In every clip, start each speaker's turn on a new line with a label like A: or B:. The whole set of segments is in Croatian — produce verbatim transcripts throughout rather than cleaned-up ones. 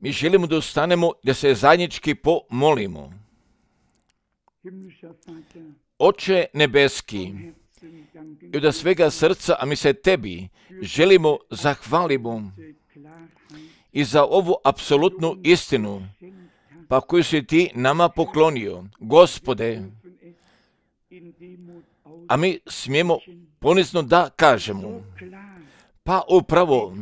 A: Mi želimo da ustanemo, da se zajednički pomolimo. Oče nebeski, i od svega srca, a mi se tebi želimo zahvalimo i za ovu apsolutnu istinu, pa koju si ti nama poklonio, Gospode, a mi smijemo ponizno da kažemo, pa upravo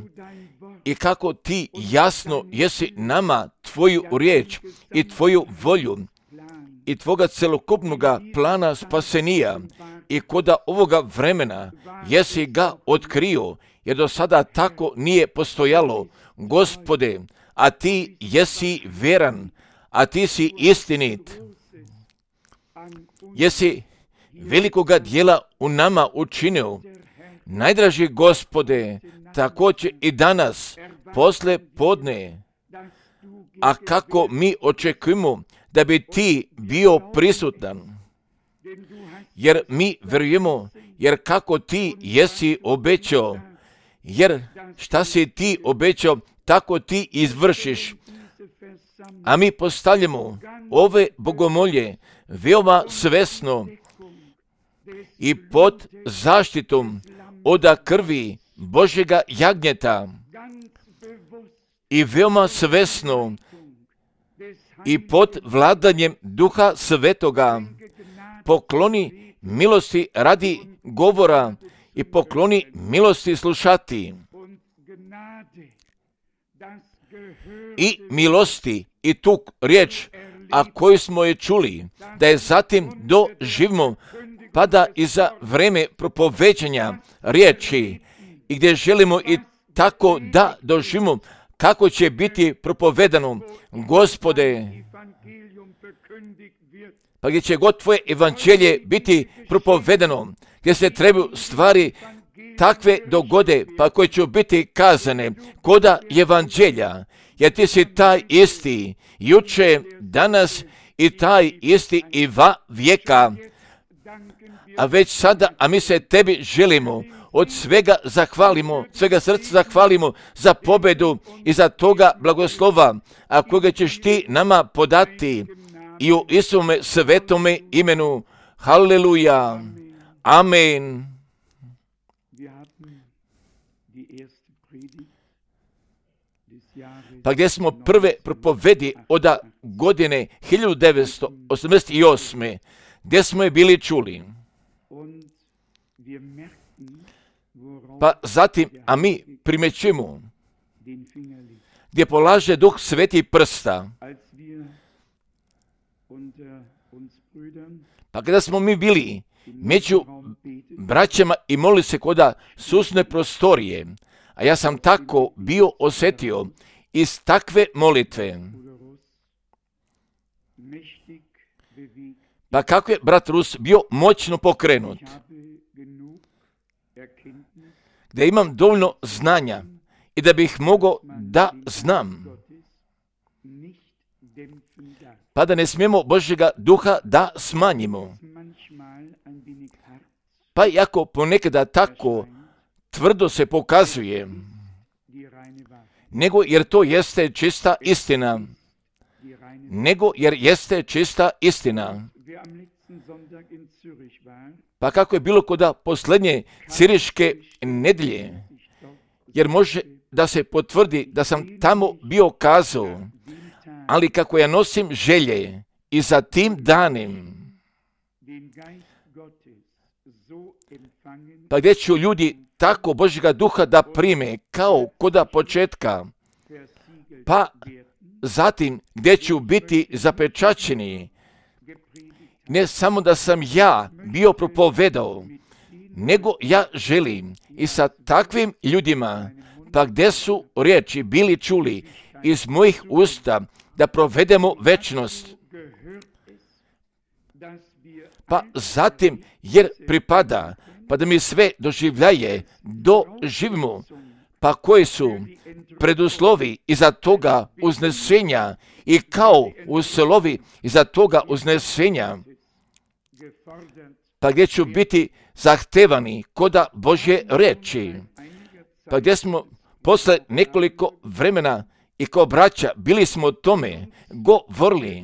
A: i kako ti jasno jesi nama tvoju riječ i tvoju volju i tvoga celokupnoga plana spasenija i koda ovoga vremena jesi ga otkrio, jer do sada tako nije postojalo, Gospode, a ti jesi vjeran, a ti si istinit. Jesi velikoga dijela u nama učinio, najdraži Gospode, također i danas, posle podne, a kako mi očekujemo da bi ti bio prisutan, jer mi vjerujemo, jer kako ti jesi obećao, jer šta si ti obećao, tako ti izvršiš. A mi postavljamo ove bogomolje veoma svesno i pod zaštitom oda krvi Božjega jagnjeta i veoma svesno i pod vladanjem Duha Svetoga pokloni milosti radi govora i pokloni milosti slušati i milosti i tu riječ, a koju smo je čuli, da je zatim doživimo, pa da i za vreme propoveđanja riječi i gdje želimo i tako da doživimo kako će biti propovedano, Gospode, pa gdje će god tvoje evanđelje biti propovedano, gdje se trebaju stvari takve dogode, pa koje će biti kazane koda evanđelja, jer ti si taj isti, juče, danas i taj isti i va vijeka, a već sada, a mi se tebi želimo od svega zahvalimo, svega srca zahvalimo za pobedu i za toga blagoslova, a koga ćeš ti nama podati i u Isuvome svetome imenu. Haleluja. Amen. Pa gdje smo prve propovedi od godine hiljadu devetsto osamdeset osme gdje smo je bili čuli. Pa zatim, a mi primećujemo gdje polaže Duh Sveti prsta. Pa kada smo mi bili među braćama i molili se koda susne prostorije, a ja sam tako bio osjetio iz takve molitve. Pa kako je brat Rus bio moćno pokrenut, da imam dovoljno znanja i da bih mogao da znam, pa da ne smijemo Božjega duha da smanjimo. Pa iako ponekada tako tvrdo se pokazuje, nego jer to jeste čista istina, nego jer jeste čista istina. Pa kako je bilo koda posljednje ciriške nedjelje, jer može da se potvrdi da sam tamo bio kazao, ali kako ja nosim želje i za tim danim, pa gdje ću ljudi tako Božjega duha da prime kao koda početka, pa zatim gdje ću biti zapečaćeni, ne samo da sam ja bio propovedao, nego ja želim i sa takvim ljudima, pa gdje su riječi bili čuli iz mojih usta, da provedemo večnost. Pa zatim, jer pripada, pa da mi sve doživljaje, doživimo, pa koji su preduslovi iza toga uznesenja i kao uslovi iza toga uznesenja, pa gdje ću biti zahtevani koda Božje reči, pa gdje smo posle nekoliko vremena i kao braća bili smo o tome govorili,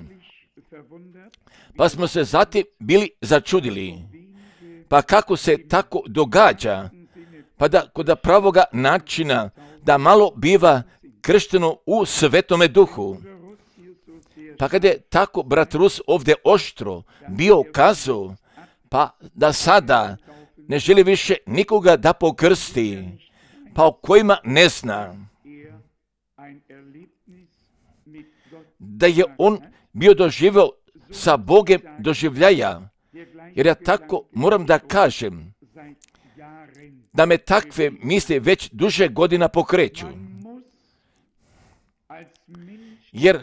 A: pa smo se zatim bili začudili. Pa kako se tako događa, pa da kod pravoga načina da malo biva kršteno u Svetome Duhu. Pa kada je tako brat Rus ovdje oštro bio kazao, pa da sada ne želi više nikoga da pokrsti, pa o kojima ne zna, da je on bio doživio sa Bogem doživljaja, jer ja tako moram da kažem, da me takve misli već duže godina pokreću. Jer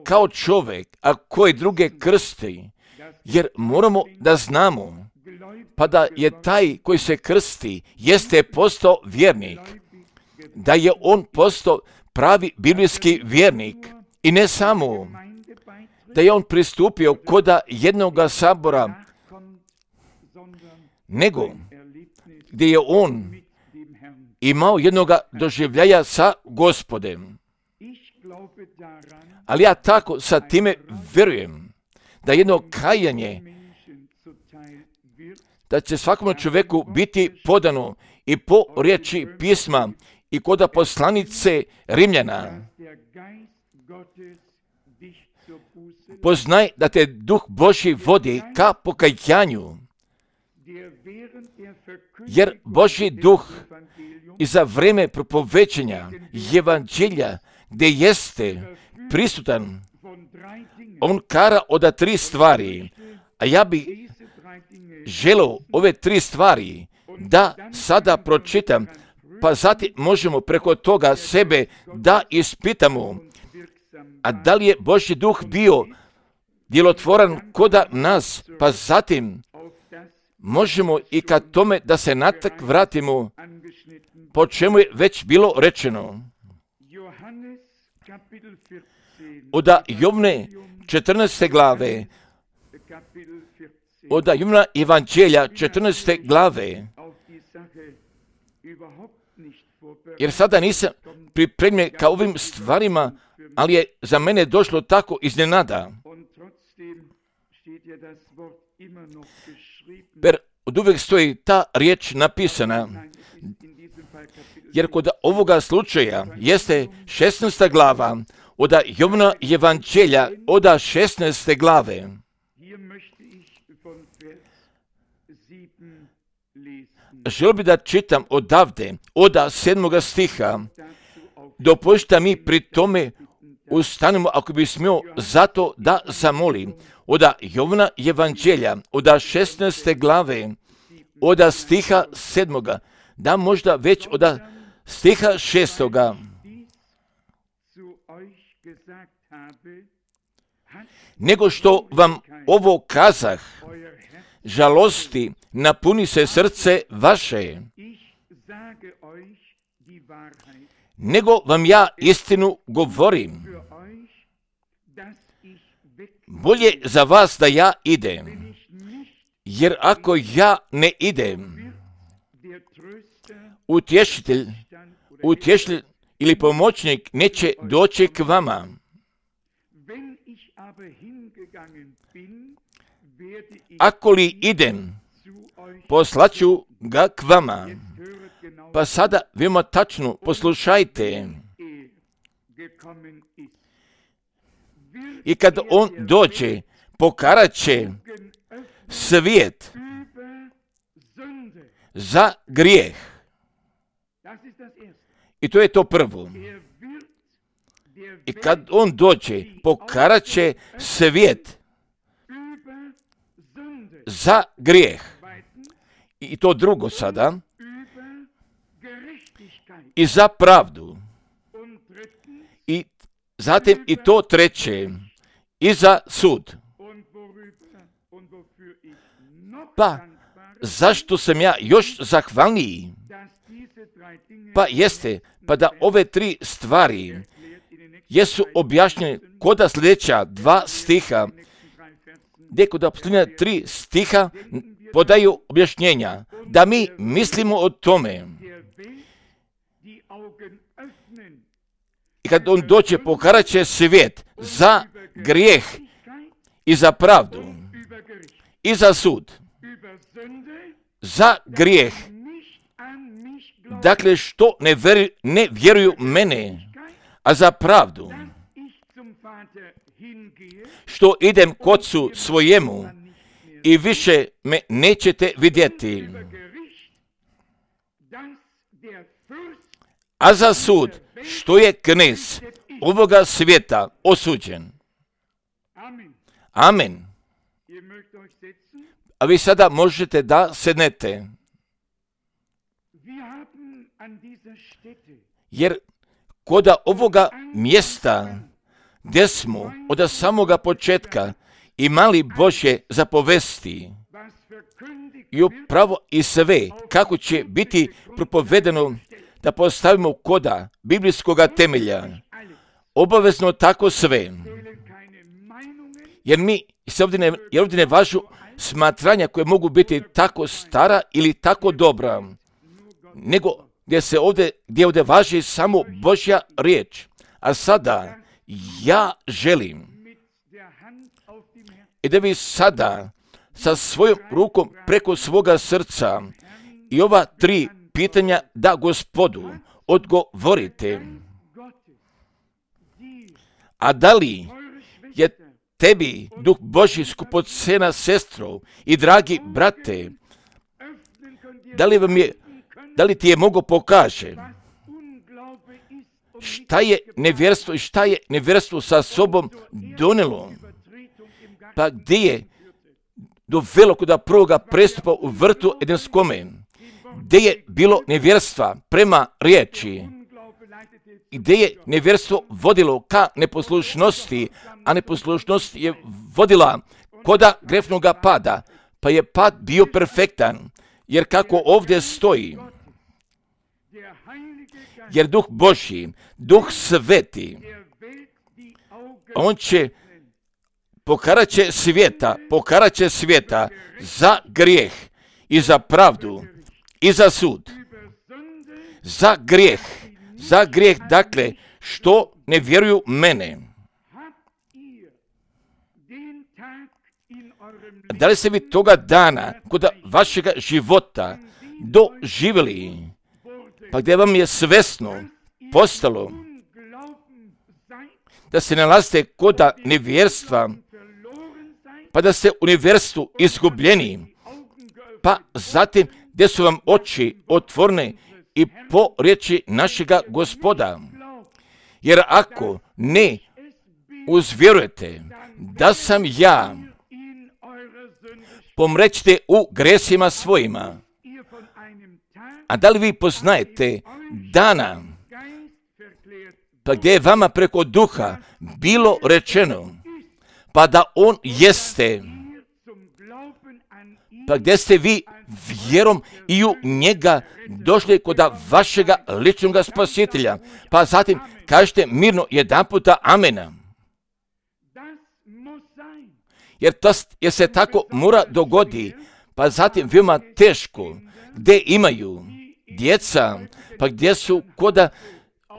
A: kao čovjek, a koji druge krsti, jer moramo da znamo, pa da je taj koji se krsti, jeste postao vjernik, da je on postao pravi biblijski vjernik i ne samo, da je on pristupio koda jednoga sabora, nego gdje je on imao jednoga doživljaja sa Gospodem. Ali ja tako sa time vjerujem da jedno kajanje, da će svakom čovjeku biti podano i po riječi pisma i koda poslanice Rimljana. Poznaj da te Duh Božji vodi ka pokajanju, jer Božji Duh i za vreme propovećenja Evanđelja gdje jeste prisutan, on kara od tri stvari, a ja bi želeo ove tri stvari da sada pročitam, pa zatim možemo preko toga sebe da ispitamo, a da li je Božji Duh bio djelotvoran koda nas, pa zatim možemo i ka tome da se natak vratimo, po čemu je već bilo rečeno. Od Jovne četrnaeste glave, od Jovna Evanđelja četrnaeste glave, jer sada nisam pripremljen ka ovim stvarima, ali je za mene došlo tako iznenada. Jer od uvijek stoji ta riječ napisana, jer kod ovoga slučaja jeste šesnaesta glava, od Jovna Evanđelja, od šesnaeste glave. Želio bi da čitam odavde, od sedmoga stiha. Dopušta mi pri tome ustanemo, ako bi smio, zato da zamolim. Od Jovna Evanđelja, od šesnaeste glave, od stiha sedmoga, da možda već od stiha šestoga. Nego što vam ovo kazah, žalosti napuni se srce vaše. Nego vam ja istinu govorim. Bolje za vas da ja idem, jer ako ja ne idem, utješitelj, utješitelj ili pomoćnik neće doći k vama. Ako li idem, poslaću ga k vama. Pa sada veoma tačno poslušajte. I kad on dođe, pokarat će svijet za grijeh. I to je to prvo. I kad on dođe, pokarat će svijet za grijeh. I to drugo sada. I za pravdu. I zatim i to treće. I za sud. Pa, zašto sam ja još zahvalniji? Pa jeste, pa da ove tri stvari jesu objašnjene koda sljedeća dva stiha, gdje koda posljednja tri stiha podaju objašnjenja, da mi mislimo o tome, I kad on dođe, pokarat će svijet za grijeh i za pravdu i za sud. Za grijeh. Dakle, što ne, veri, ne vjeruju mene, a za pravdu. Što idem k Ocu svojemu i više me nećete vidjeti. A za sud, što je knez ovoga svijeta osuđen. Amen. A vi sada možete da sednete. Jer koda ovoga mjesta gdje smo od samoga početka imali Božje zapovesti i upravo i sve kako će biti propovedeno da postavimo koda biblijskoga temelja, obavezno tako sve. Jer mi se ovdje ne, jer ovdje ne važu smatranja koje mogu biti tako stara ili tako dobra, nego gdje se ovdje, gdje ovdje važi samo Božja riječ. A sada ja želim i da vi sada sa svojom rukom preko svoga srca i ova tri pitanja da Gospodu odgovorite. A da li je tebi Duh Božji skupocena sestro i dragi brate, da li vam je, da li ti je mogo pokaže šta je nevjerstvo i šta je nevjerstvo sa sobom donelo, pa gdje je dovelo kod prvoga prestupa u vrtu Edenskome, gdje je bilo nevjerstva prema riječi, gdje je nevjerstvo vodilo ka neposlušnosti, a neposlušnost je vodila koda grefnoga pada, pa je pad bio perfektan, jer kako ovdje stoji, jer Duh Božji, Duh Sveti, on će pokarat će svijeta, pokarat će svijeta za grijeh i za pravdu i za sud. Za grijeh, za grijeh, dakle, što ne vjeruju mene. Da li ste vi toga dana kod vašega života doživjeli, pa gdje vam je svesno postalo da se nalazite kod nevjerstva, pa da ste u nevjerstvu izgubljeni, pa zatim gdje su vam oči otvorene i po riječi našega Gospoda. Jer ako ne uzvjerujete da sam ja, pomrećete u gresima svojima. A da li vi poznajete dana, pa gdje je vama preko duha bilo rečeno, pa da on jeste, pa gdje ste vi vjerom i u njega došli kod vašega ličnog spasitelja, pa zatim kažete mirno jedan puta amena. Jer, to, jer se tako mora dogodi, pa zatim veoma teško, gdje imaju djeca, pa gdje su koda,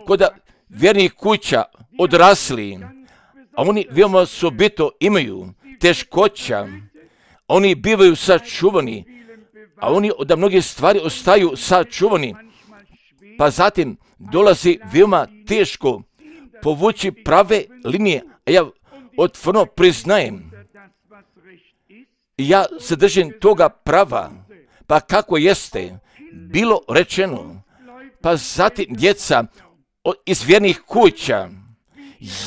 A: koda vjernih kuća odrasli, a oni veoma osobito imaju teškoća, oni bivaju sačuvani, a oni od mnogih stvari ostaju sačuvani, pa zatim dolazi veoma teško povući prave linije, a ja otvoreno priznajem, ja se držim toga prava, pa kako jeste bilo rečeno, pa zatim djeca iz vjernih kuća,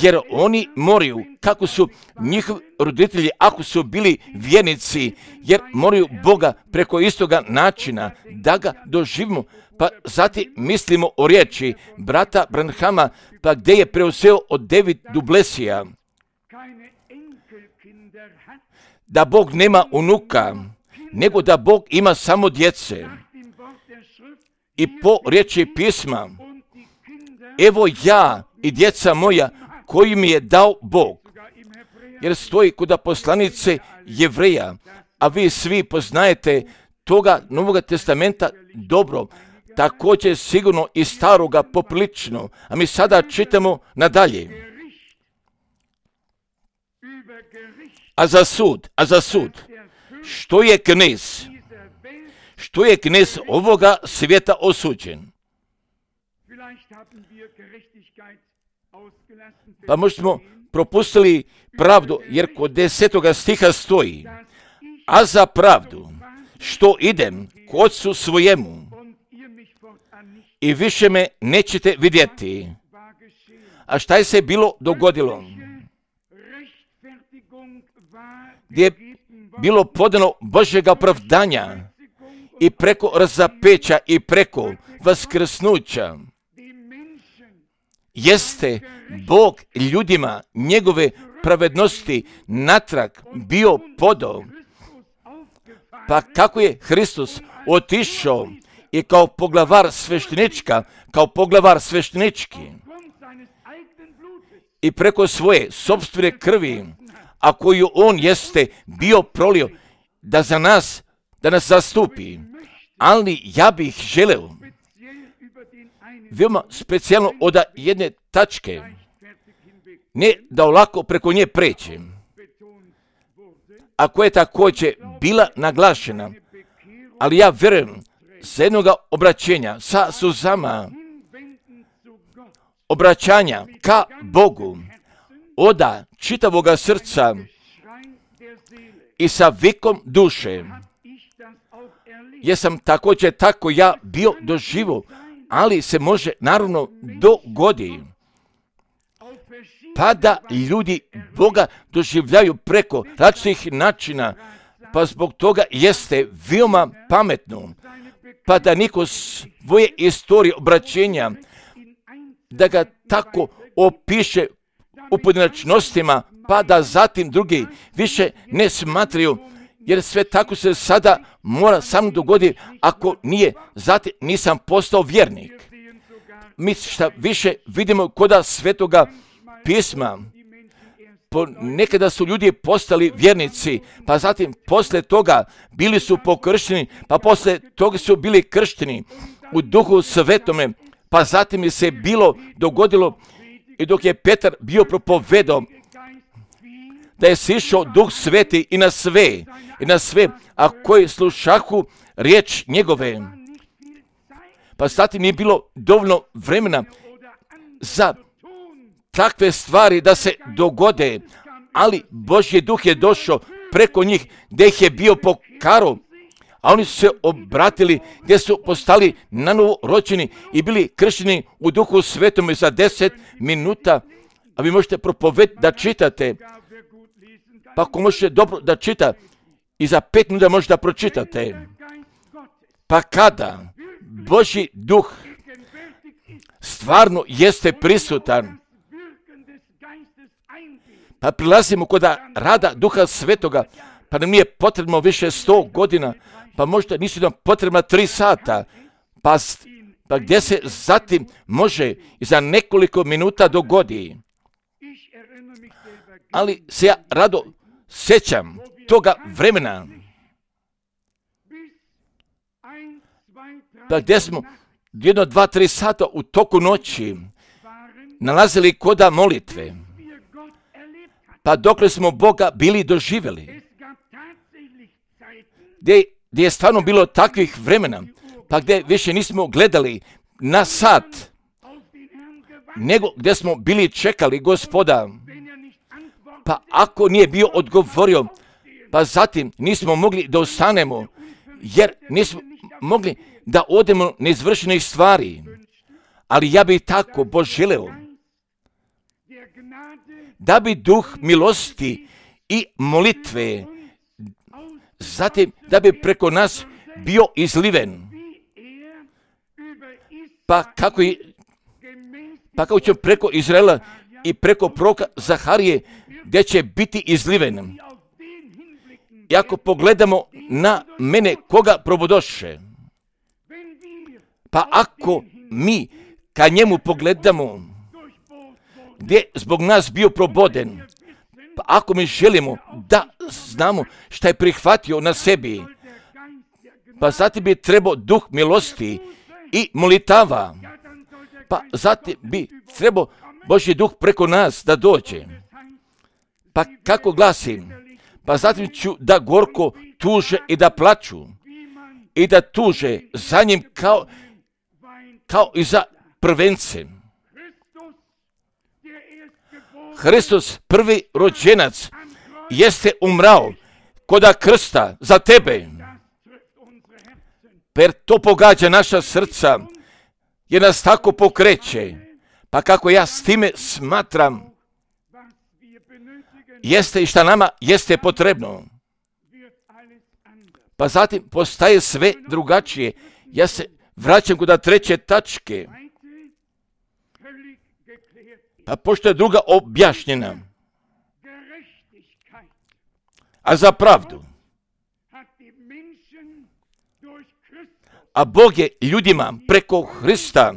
A: jer oni moraju, kako su njihovi roditelji, ako su bili vjernici, jer moraju Boga preko istoga načina da ga doživimo, pa zatim mislimo o riječi brata Branhama, pa gdje je preuzeo od David Dublesija, da Bog nema unuka, nego da Bog ima samo djece. I po riječi pisma, evo ja i djeca moja koji mi je dao Bog. Jer stoji kod poslanice Jevreja, a vi svi poznajete toga Novoga testamenta dobro, također sigurno i staroga poprilično, a mi sada čitamo nadalje. A za sud, a za sud, što je knez? Što je knez ovoga svijeta osuđen? Pa možda smo propustili pravdu, jer kod desetoga stiha stoji, a za pravdu, što idem k Otcu svojemu i više me nećete vidjeti. A šta je se bilo dogodilo? Gdje je bilo podano Božjega opravdanja i preko razapeća i preko vaskrsnuća, jeste Bog ljudima njegove pravednosti natrag bio podao. Pa kako je Hristos otišao i kao poglavar sveštenička, kao poglavar sveštenički i preko svoje sopstvene krvi, a koju on jeste bio prolio da za nas, da nas zastupi. Ali ja bih želeo veoma specijalno od jedne tačke, ne da olako preko nje pređem, a koja je također bila naglašena, ali ja vjerujem s jednoga obraćenja sa suzama, obraćanja ka Bogu, oda čitavoga srca i sa vikom duše. Jesam također tako ja bio doživo, ali se može naravno dogodi pa da ljudi Boga doživljaju preko različitih načina, pa zbog toga jeste veoma pametno, pa da niko svoje istorije obraćenja, da ga tako opiše u pojedinačnostima, pa da zatim drugi više ne smatraju, jer sve tako se sada mora samo dogoditi, ako nije, zatim nisam postao vjernik. Mi šta više vidimo koda Svetoga pisma, nekada su ljudi postali vjernici, pa zatim poslije toga bili su pokršteni, pa poslije toga su bili kršteni u Duhu Svetome, pa zatim je se bilo dogodilo i dok je Petar bio propovedao da je sišao Duh Sveti i na sve, i na sve, a koji slušahu riječ njegove. Pa zatim nije bilo dovoljno vremena za takve stvari da se dogode, ali Božji Duh je došao preko njih gdje ih je bio pokarao, a oni su se obratili gdje su postali nanovo rođeni i bili kršteni u Duhu Svetom za deset minuta, a vi možete propovedati da čitate, pa ako možete dobro da čita, i za pet minuta možete da pročitate. Pa kada Božji Duh stvarno jeste prisutan, pa prilazimo kod rada Duha Svetoga, pa nam nije potrebno više sto godina, pa možda nisu nam potrebna tri sata, pa, pa gdje se zatim može i za nekoliko minuta dogodi. Ali se ja rado sjećam toga vremena, pa gdje smo jedno, dva, tri sata u toku noći nalazili koda molitve, pa dokle smo Boga bili doživjeli, gdje, gdje je stvarno bilo takvih vremena, pa gdje više nismo gledali na sat, nego gdje smo bili čekali Gospoda, pa ako nije bio odgovorio, pa zatim nismo mogli da ostanemo, jer nismo mogli da odemo neizvršenih stvari. Ali ja bih tako poželeo da bi duh milosti i molitve, zatim da bi preko nas bio izliven. Pa kako je, pa kako će preko Izraela i preko proroka Zaharije, gdje će biti izliven. I ako pogledamo na mene koga probodoše, pa ako mi ka njemu pogledamo, gdje zbog nas bio proboden, pa ako mi želimo da znamo šta je prihvatio na sebi, pa zatim bi trebao duh milosti i molitava. Pa zatim bi trebao Božji duh preko nas da dođe. Pa kako glasim? Pa zatim ću da gorko tuže i da plaču. I da tuže za njim kao, kao i za prvencem. Hristos, prvi rođenac, jeste umrao koda krsta za tebe. Per to pogađa naša srca, jer nas tako pokreće. Pa kako ja s time smatram, jeste i šta nama jeste potrebno. Pa zatim postaje sve drugačije. Ja se vraćam kod treće tačke. Pa pošto je druga objašnjena. A za pravdu. A Bog je ljudima preko Hrista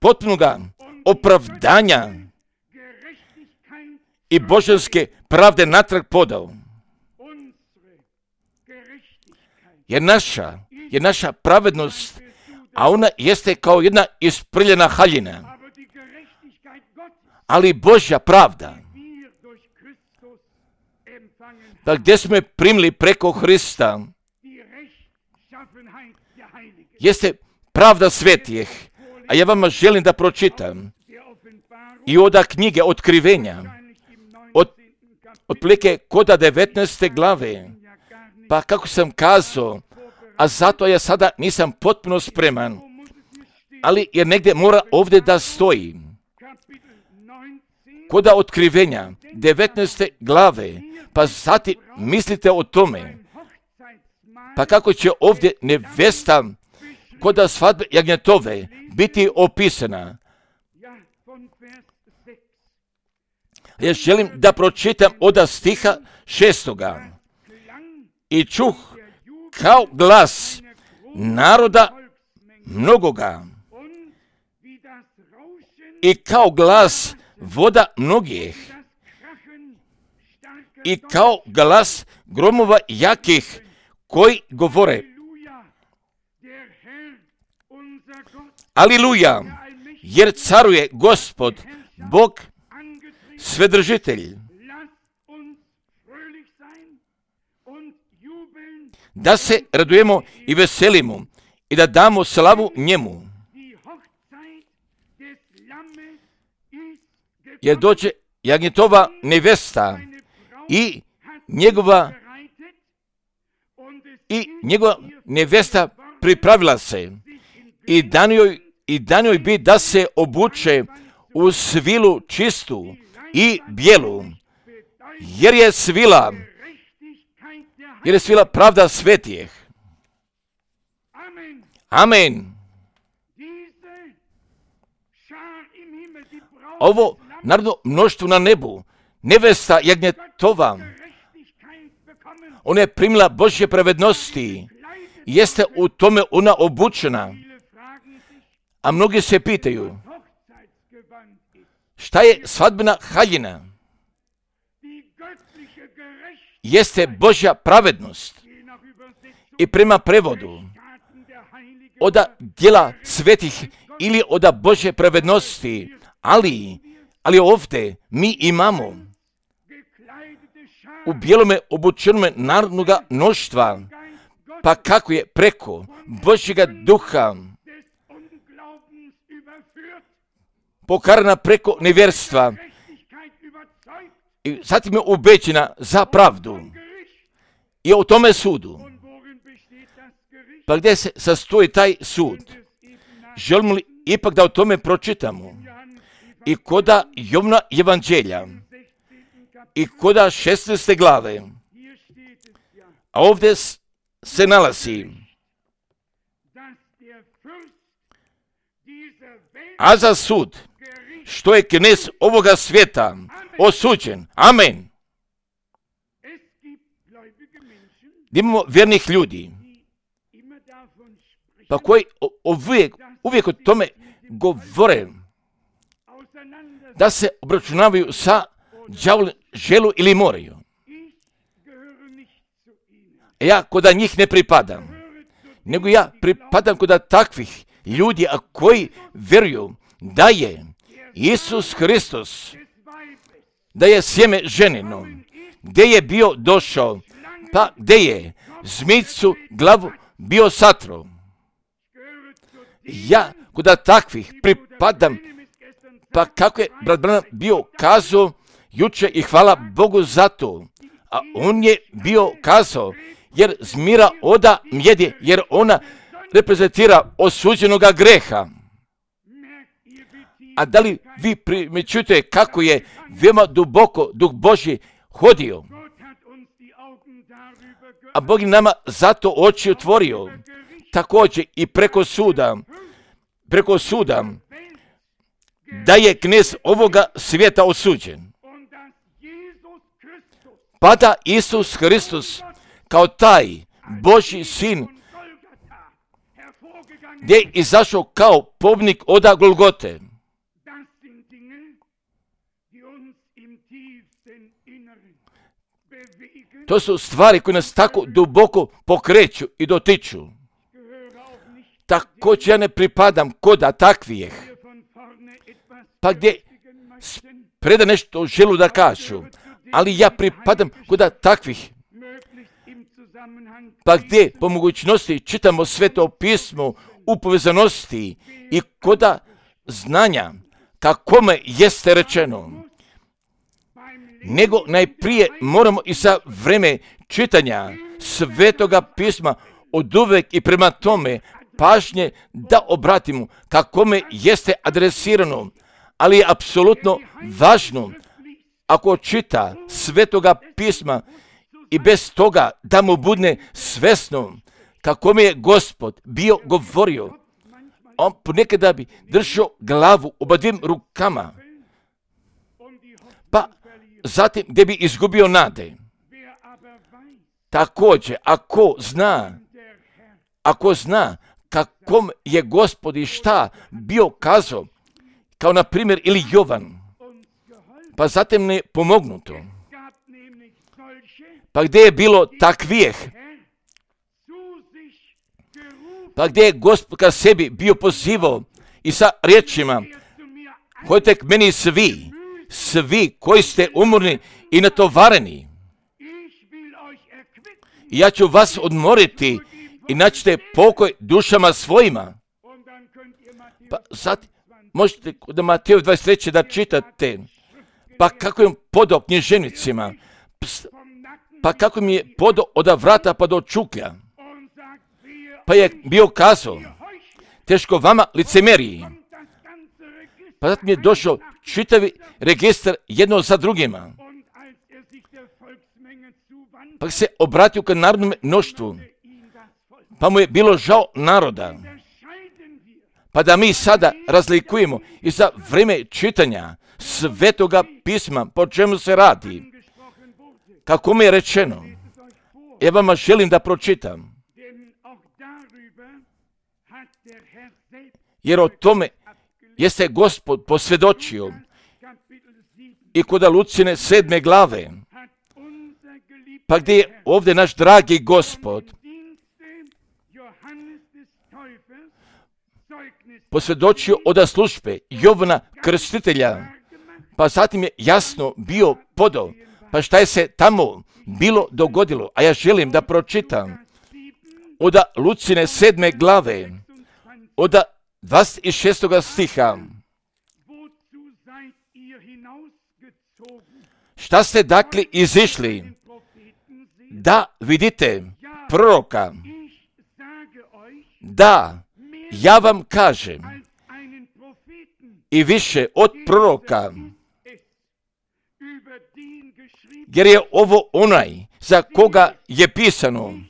A: potpunoga opravdanja i božanske pravde natrag podao. Jer naša, jer naša pravednost, a ona jeste kao jedna isprljena haljina. Ali Božja pravda, pa gdje smo je primili preko Hrista, jeste pravda svetijih. A ja vama želim da pročitam i od knjige Otkrivenja, od, otprilike koda devetnaeste glave, pa kako sam kazao, a zato ja sada nisam potpuno spreman, ali jer negdje mora ovdje da stoji. Koda Otkrivenja, devetnaeste glave, pa zatim mislite o tome, pa kako će ovdje nevesta koda svadbe jagnjetove biti opisana. Ja želim da pročitam od stiha šestoga. I čuh kao glas naroda mnogoga i kao glas voda mnogih i kao glas gromova jakih koji govore: Aliluja, jer caruje Gospod, Bog, Svedržitelj. Da se radujemo i veselimo i da damo slavu njemu. Jer dođe jagnjetova nevesta i njegova i njegova nevesta pripravila se i dan joj, i dan joj bi da se obuče u svilu čistu i bijelu, jer je svila jer je svila pravda svetijih. Amen. Ovo narodno mnoštvo na nebu, nevesta jagnjetova, ona je primila Božje pravednosti, jeste u tome ona obučena. A mnogi se pitaju, šta je svadbena haljina? Jeste Božja pravednost. I prema prevodu, od djela svetih ili od Božje pravednosti, ali, ali ovdje mi imamo u bijelome obučenome narodnoga mnoštva, pa kako je preko Božjega duha pokarana preko nevjerstva i zatim je ubeđena za pravdu i o tome sudu. Pa gdje se sastoji taj sud? Želimo li ipak da o tome pročitamo? I koda Jovna evanđelja i koda šesnaeste glave, a ovdje se nalazi: a za sud, što je knez ovoga svijeta osuđen. Amen. Imamo vjernih ljudi, pa koji uvijek, uvijek o tome govore, da se obračunavaju sa đavolom, želu ili moraju. Ja koda njih ne pripadam. nego ja pripadam kod takvih ljudi, a koji vjeruju da je Isus Hristos, da je sjeme ženino, gdje je bio došao, pa gdje je zmijcu glavu bio satro. Ja kod takvih pripadam, pa kako je brat Branham bio kazao juče i hvala Bogu za to, a on je bio kazao, jer zmira oda mjedi, jer ona reprezentira osuđenoga greha. A da li vi primjećujete kako je veoma duboko Duh Božji hodio? A Bog je nama zato oči otvorio. Također i preko suda, preko suda, da je knez ovoga svijeta osuđen. Pa da Isus Hristos kao taj Božji sin, gdje je izašao kao pobnik oda Golgote. To su stvari koje nas tako duboko pokreću i dotiču. Također ja ne pripadam koda takvih, pa gdje preda nešto želu da kažu, ali ja pripadam koda takvih, pa gdje po mogućnosti čitamo Sveto pismo u povezanosti i koda znanja kakome jeste rečeno. Nego najprije moramo i za vreme čitanja Svetoga pisma od uvek i prema tome pažnje da obratimo kakome jeste adresirano, ali je apsolutno važno ako čita Svetoga pisma i bez toga da mu budne svesno kakome je Gospod bio govorio. On ponekada bi držao glavu oba dvim rukama, pa zatim gdje bi izgubio nade. Također, ako zna, ako zna kakom je Gospod i šta bio kazao, kao na primjer ili Jovan, pa zatim ne pomognuto. Pa gdje je bilo takvijeh, pa gdje je Gospod ka sebi bio pozivao i sa riječima, hodite k meni svi, svi koji ste umorni i natovareni, i ja ću vas odmoriti i naćete pokoj dušama svojima. Pa sad možete da Mateo dvadeset treće da čitate, pa kako je podao književnicima, pa kako mi je podao od vrata pa do čuklja, pa je bio kazao, teško vama licemeriji. Pa zatim je došao čitavi registar jedno za drugima, pa se obratio ka narodnom mnoštvu, pa mu je bilo žao naroda. Pa da mi sada razlikujemo i za vrijeme čitanja Svetoga pisma, po čemu se radi, kako mi je rečeno, ja vama želim da pročitam, jer o tome jeste Gospod posvjedočio i kod Lucine sedme glave, pa gdje je ovdje naš dragi Gospod posvjedočio od službe Jovana Krstitelja, pa zatim je jasno bio podao, pa šta je se tamo bilo dogodilo, a ja želim da pročitam od Lucine sedme glave, od dvadeset šestog stiha. Šta ste dakle izišli? Da vidite proroka. Da, ja vam kažem, i više od proroka, jer je ovo onaj za koga je pisano.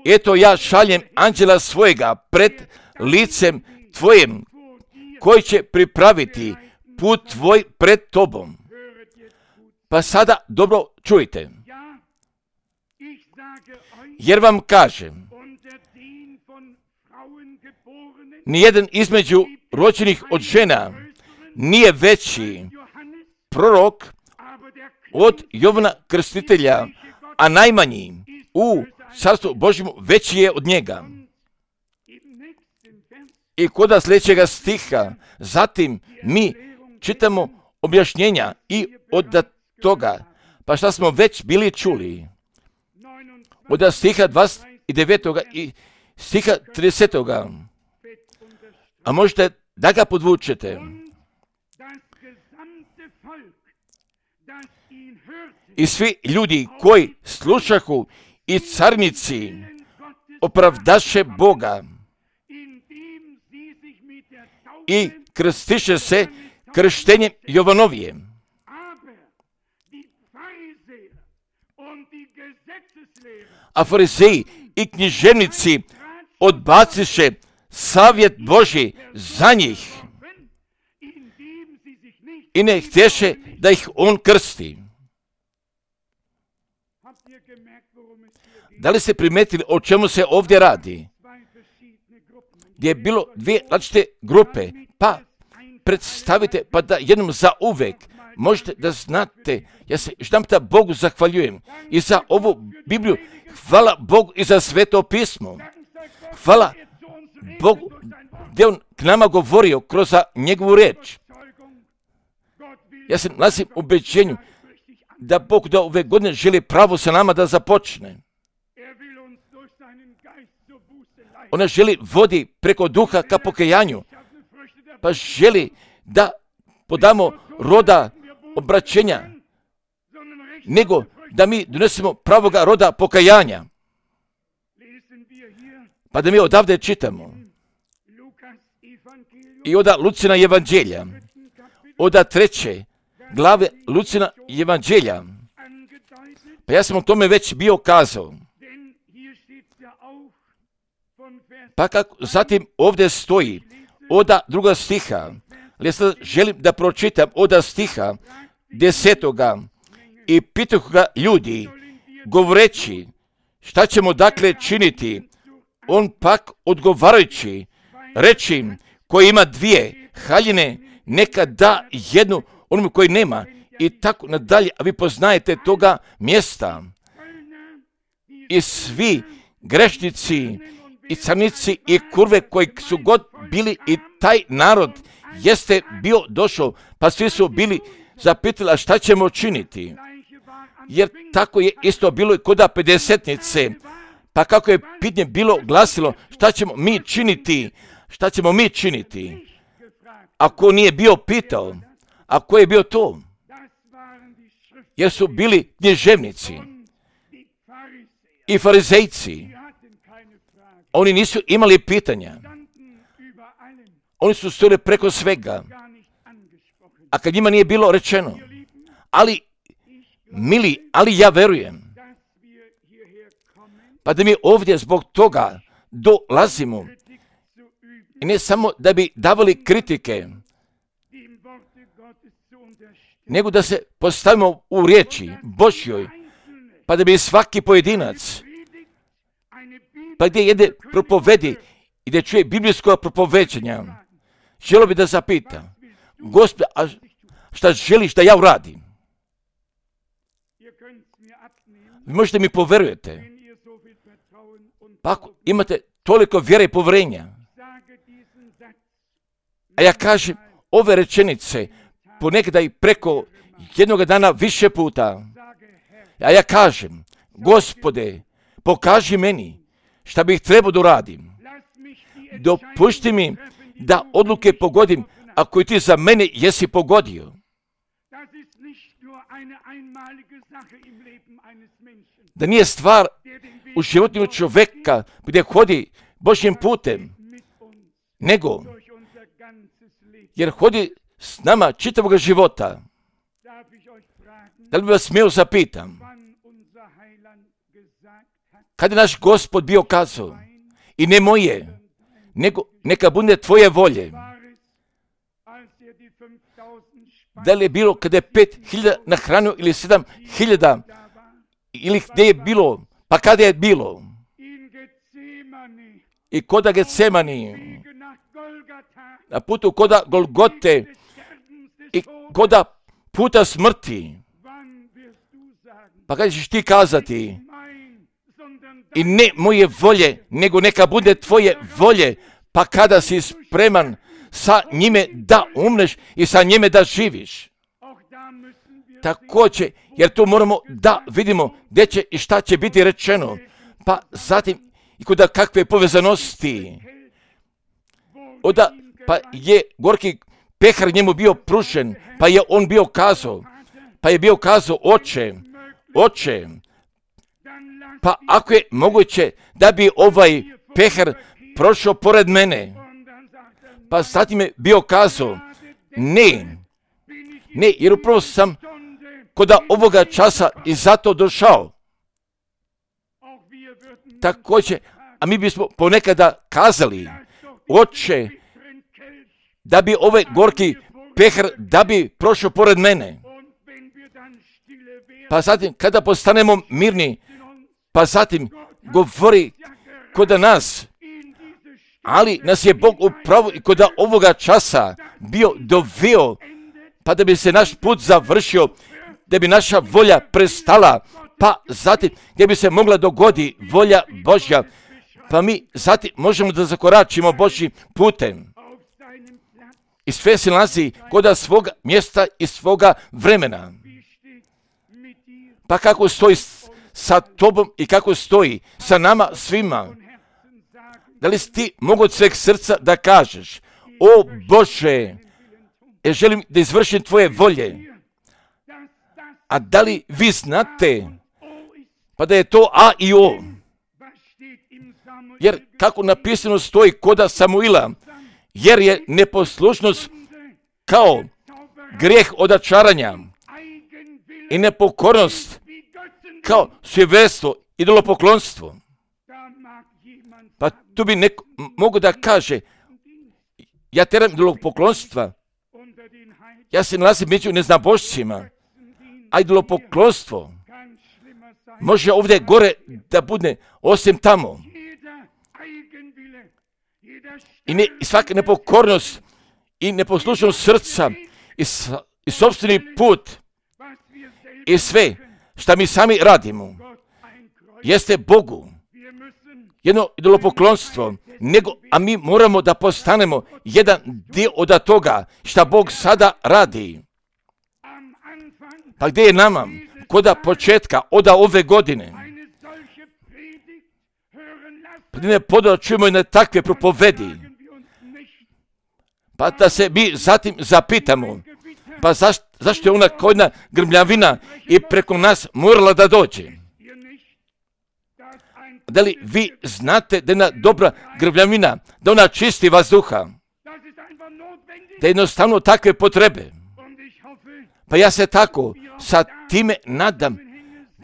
A: Eto ja šaljem anđela svojega pred licem tvojim, koji će pripraviti put tvoj pred tobom. Pa sada dobro čujte. Jer vam kažem, nijedan između rođenih od žena nije veći prorok od Jovana Krstitelja, a najmanji u carstvu Božjemu veći je od njega. I kod sljedećega stiha, zatim mi čitamo objašnjenja i od toga, pa šta smo već bili čuli, od stiha dvadeset devet i stiha trideset. A možete da ga podvučete. I svi ljudi koji slušahu i carnici opravdaše Boga i krstiše se krštenjem Jovanovije. A farizeji i književnici odbaciše savjet Božji za njih i ne htješe da ih on krsti. Da li ste primetili o čemu se ovdje radi? Gdje je bilo dvije različite grupe, pa predstavite, pa da jednom za uvek možete da znate, ja se jedanputa Bogu zahvaljujem i za ovu Bibliju, hvala Bogu i za Sveto pismo. Hvala Bogu gdje on k nama govorio kroz njegovu riječ. Ja se nalazim u ubeđenju da Bog do ove godine želi pravo sa nama da započne. Ona želi vodi preko duha ka pokajanju, pa želi da podamo roda obraćenja, nego da mi donesemo pravoga roda pokajanja. Pa da mi odavde čitamo. I oda Lucina evanđelja, oda treće glave Lucina evanđelja. Pa ja sam o tome već bio kazao. Pa kako zatim ovdje stoji oda druga stiha, ali ja sad želim da pročitam oda stiha desetoga i pitahu ga ljudi, govoreći, šta ćemo dakle činiti? On pak odgovarajući, reći im, koji ima dvije haljine, neka da jednu onom koji nema, i tako nadalje, a vi poznajete toga mjesta. I svi grešnici i carnici i kurve koji su god bili, i taj narod jeste bio došao, pa svi su bili zapitali, a šta ćemo činiti? Jer tako je isto bilo i kod pedesetnice. Pa kako je pitanje bilo glasilo, šta ćemo mi činiti? Šta ćemo mi činiti? Ako nije bio pitao, a ko je bio to? Jer su bili književnici i farizejci. Oni nisu imali pitanja. Oni su stojili preko svega. A kad njima nije bilo rečeno, ali, mili, ali ja verujem, pa da mi ovdje zbog toga dolazimo, i ne samo da bi davali kritike, nego da se postavimo u riječi Božjoj, pa da bi svaki pojedinac, pa gdje jede propovedi i da čuje biblijsko propoveđenja, želio bi da zapita, Gospod, a šta želiš da ja uradim? Vi možete mi poverujete. Pa ako imate toliko vjere i povjerenja, a ja kažem ove rečenice ponekada i preko jednog dana više puta, a ja kažem, Gospode, pokaži meni šta bih trebao da uradim. Dopušti mi da odluke pogodim ako ti za mene jesi pogodio. Da nije stvar u životu čovjeka gdje hodi Božjim putem, nego jer hodi s nama čitavog života. Da li bi vas smio zapitam, kad je naš Gospod bio kazao, i ne moje, nego neka bude tvoje volje. Da li je bilo kada je pet hiljada nahranio ili sedam hiljada, ili gdje je bilo, pa kada je bilo? I koda Getsemani, na putu koda Golgote i koda puta smrti. Pa kada ćeš ti kazati, I ne moje volje, nego neka bude tvoje volje, pa kada si spreman sa njime da umreš i sa njime da živiš. Također, jer tu moramo da vidimo gdje će i šta će biti rečeno, pa zatim i kuda kakve povezanosti. Oda, pa je gorki pehar njemu bio pružen, pa je on bio kazao, pa je bio kazao, oče, oče, pa ako je moguće da bi ovaj pehar prošao pored mene, pa zatim je bio kazao, ne, ne, jer upravo sam koda ovoga časa i zato došao. Također, a mi bismo ponekada kazali, oče, da bi ovaj gorki pehar, da bi prošao pored mene. Pa zatim, kada postanemo mirni, pa zatim govori koda nas, ali nas je Bog upravo i koda ovoga časa bio doveo, pa da bi se naš put završio, da bi naša volja prestala, pa zatim gdje bi se mogla dogodi volja Božja, pa mi zatim možemo da zakoračimo Božjim putem. I sve se nalazi koda svoga mjesta i svoga vremena. Pa kako stoji sa tobom i kako stoji sa nama svima? Da li si ti mogu od sveg srca da kažeš, o Bože, ja želim da izvršim tvoje volje. A da li vi znate, pa da je to A i O? Jer kako napisano stoji koda Samuila, jer je neposlušnost kao grijeh odačaranja i nepokornost kao sujeverstvo, idolopoklonstvo. Pa tu bi neko mogu da kaže, ja teram idolopoklonstva, ja se nalazim među neznabošcima, a idolopoklonstvo može ovdje gore da bude osim tamo. I, ne, i svaka nepokornost i neposlušnost srca i, i sopstveni put i sve što mi sami radimo jeste Bogu jedno idolopoklonstvo, nego, a mi moramo da postanemo jedan dio od toga što Bog sada radi. Pa gdje je nama koda početka od ove godine? Pa ne poda čujemo i na takve propovedi. Pa da se mi zatim zapitamo, pa zaš, zašto je ona kao jedna grmljavina i preko nas morala da dođe? Da li vi znate da je jedna dobra grmljavina, da ona čisti vazduha? Da je jednostavno takve potrebe. Pa ja se tako sa time nadam,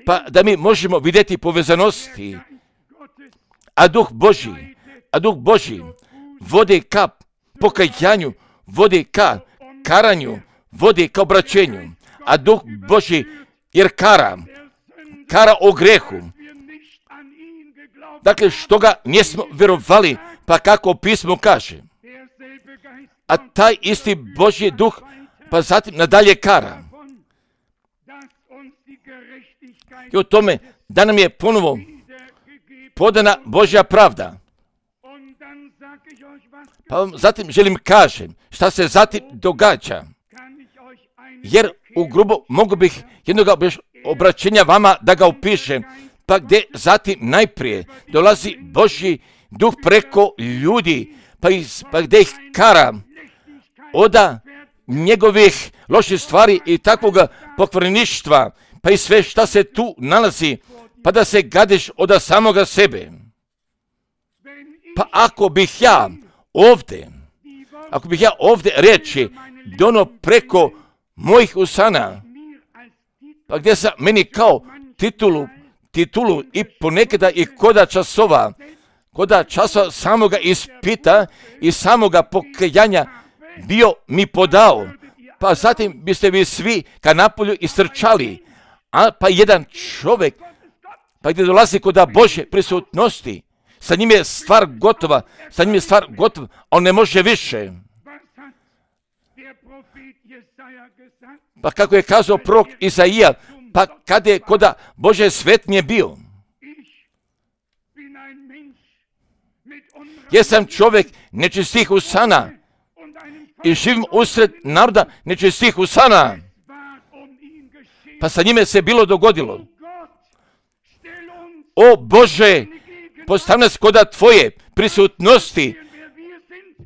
A: pa da mi možemo vidjeti povezanosti. A Duh Božji, a Duh Božji vodi ka pokajanju, vodi ka karanju, vodi ka obraćenju. A Duh Božji jer kara, kara o grehu. Dakle, što ga nismo vjerovali, pa kako pismo kaže. A taj isti Božji Duh, pa zatim nadalje kara. I o tome da nam je ponovo podana Božja pravda. Pa vam zatim želim kažem šta se zatim događa. Jer u grubo mogu bih jednog obraćenja vama da ga upišem. Pa gdje zatim najprije dolazi Božji Duh preko ljudi, pa, iz, pa gdje ih kara oda njegovih loših stvari i takvog pokvareništva, pa i sve šta se tu nalazi, pa da se gadiš od samoga sebe. Pa ako bih ja ovdje, ako bih ja ovdje reći dono preko mojih usana, pa gdje sam meni kao titulu, titulu i ponekada i koda časova, koda časova samoga ispita i samoga pokajanja bio mi podao, pa zatim biste vi svi ka napolju istrčali, a pa jedan čovjek, pa gdje dolazi koda Božje prisutnosti, sa njim je stvar gotova, sa njim je stvar gotova, on ne može više. Pa kako je kazao prorok Izaija, pa kada je koda Božje svetnje bio, Jesam čovjek nečistih usana i živim usred naroda nečistih usana. Pa sa njime se bilo dogodilo. O Bože, postavi nas koda Tvoje prisutnosti,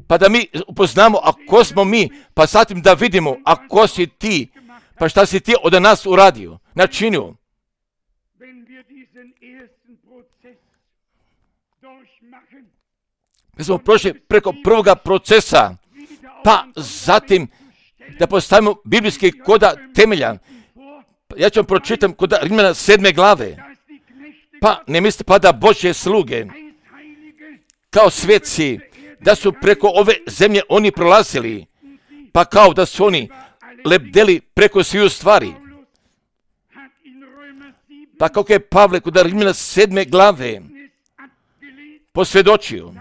A: pa da mi upoznamo, a ko smo mi, pa zatim da vidimo, a ko si Ti, pa šta si Ti od nas uradio, načinio. Mi smo prošli preko prvoga procesa, pa zatim da postavimo biblijski koda temelja. Ja ću vam pročitam koda Rimljana sedme glave. Pa ne mislite pa da Božje sluge, kao sveci, da su preko ove zemlje oni prolazili, pa kao da su oni lebdeli preko sviju stvari. Pa kako je Pavle kod Rimljana sedme glave posvjedočio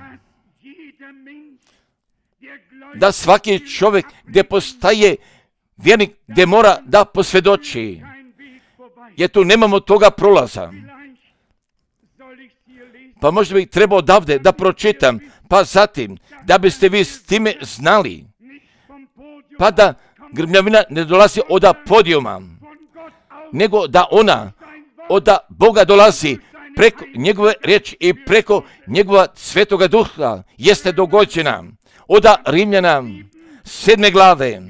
A: da svaki čovjek gdje postaje vjernik, gdje mora da posvjedoči, jer tu nemamo toga prolaza. Pa možda bih trebao odavde da pročitam, pa zatim da biste vi s time znali, pa da grmljavina ne dolazi od podijuma, nego da ona od Boga dolazi preko njegove riječi i preko njegova svetoga duha jeste dogođena. Od Rimljana sedme glave.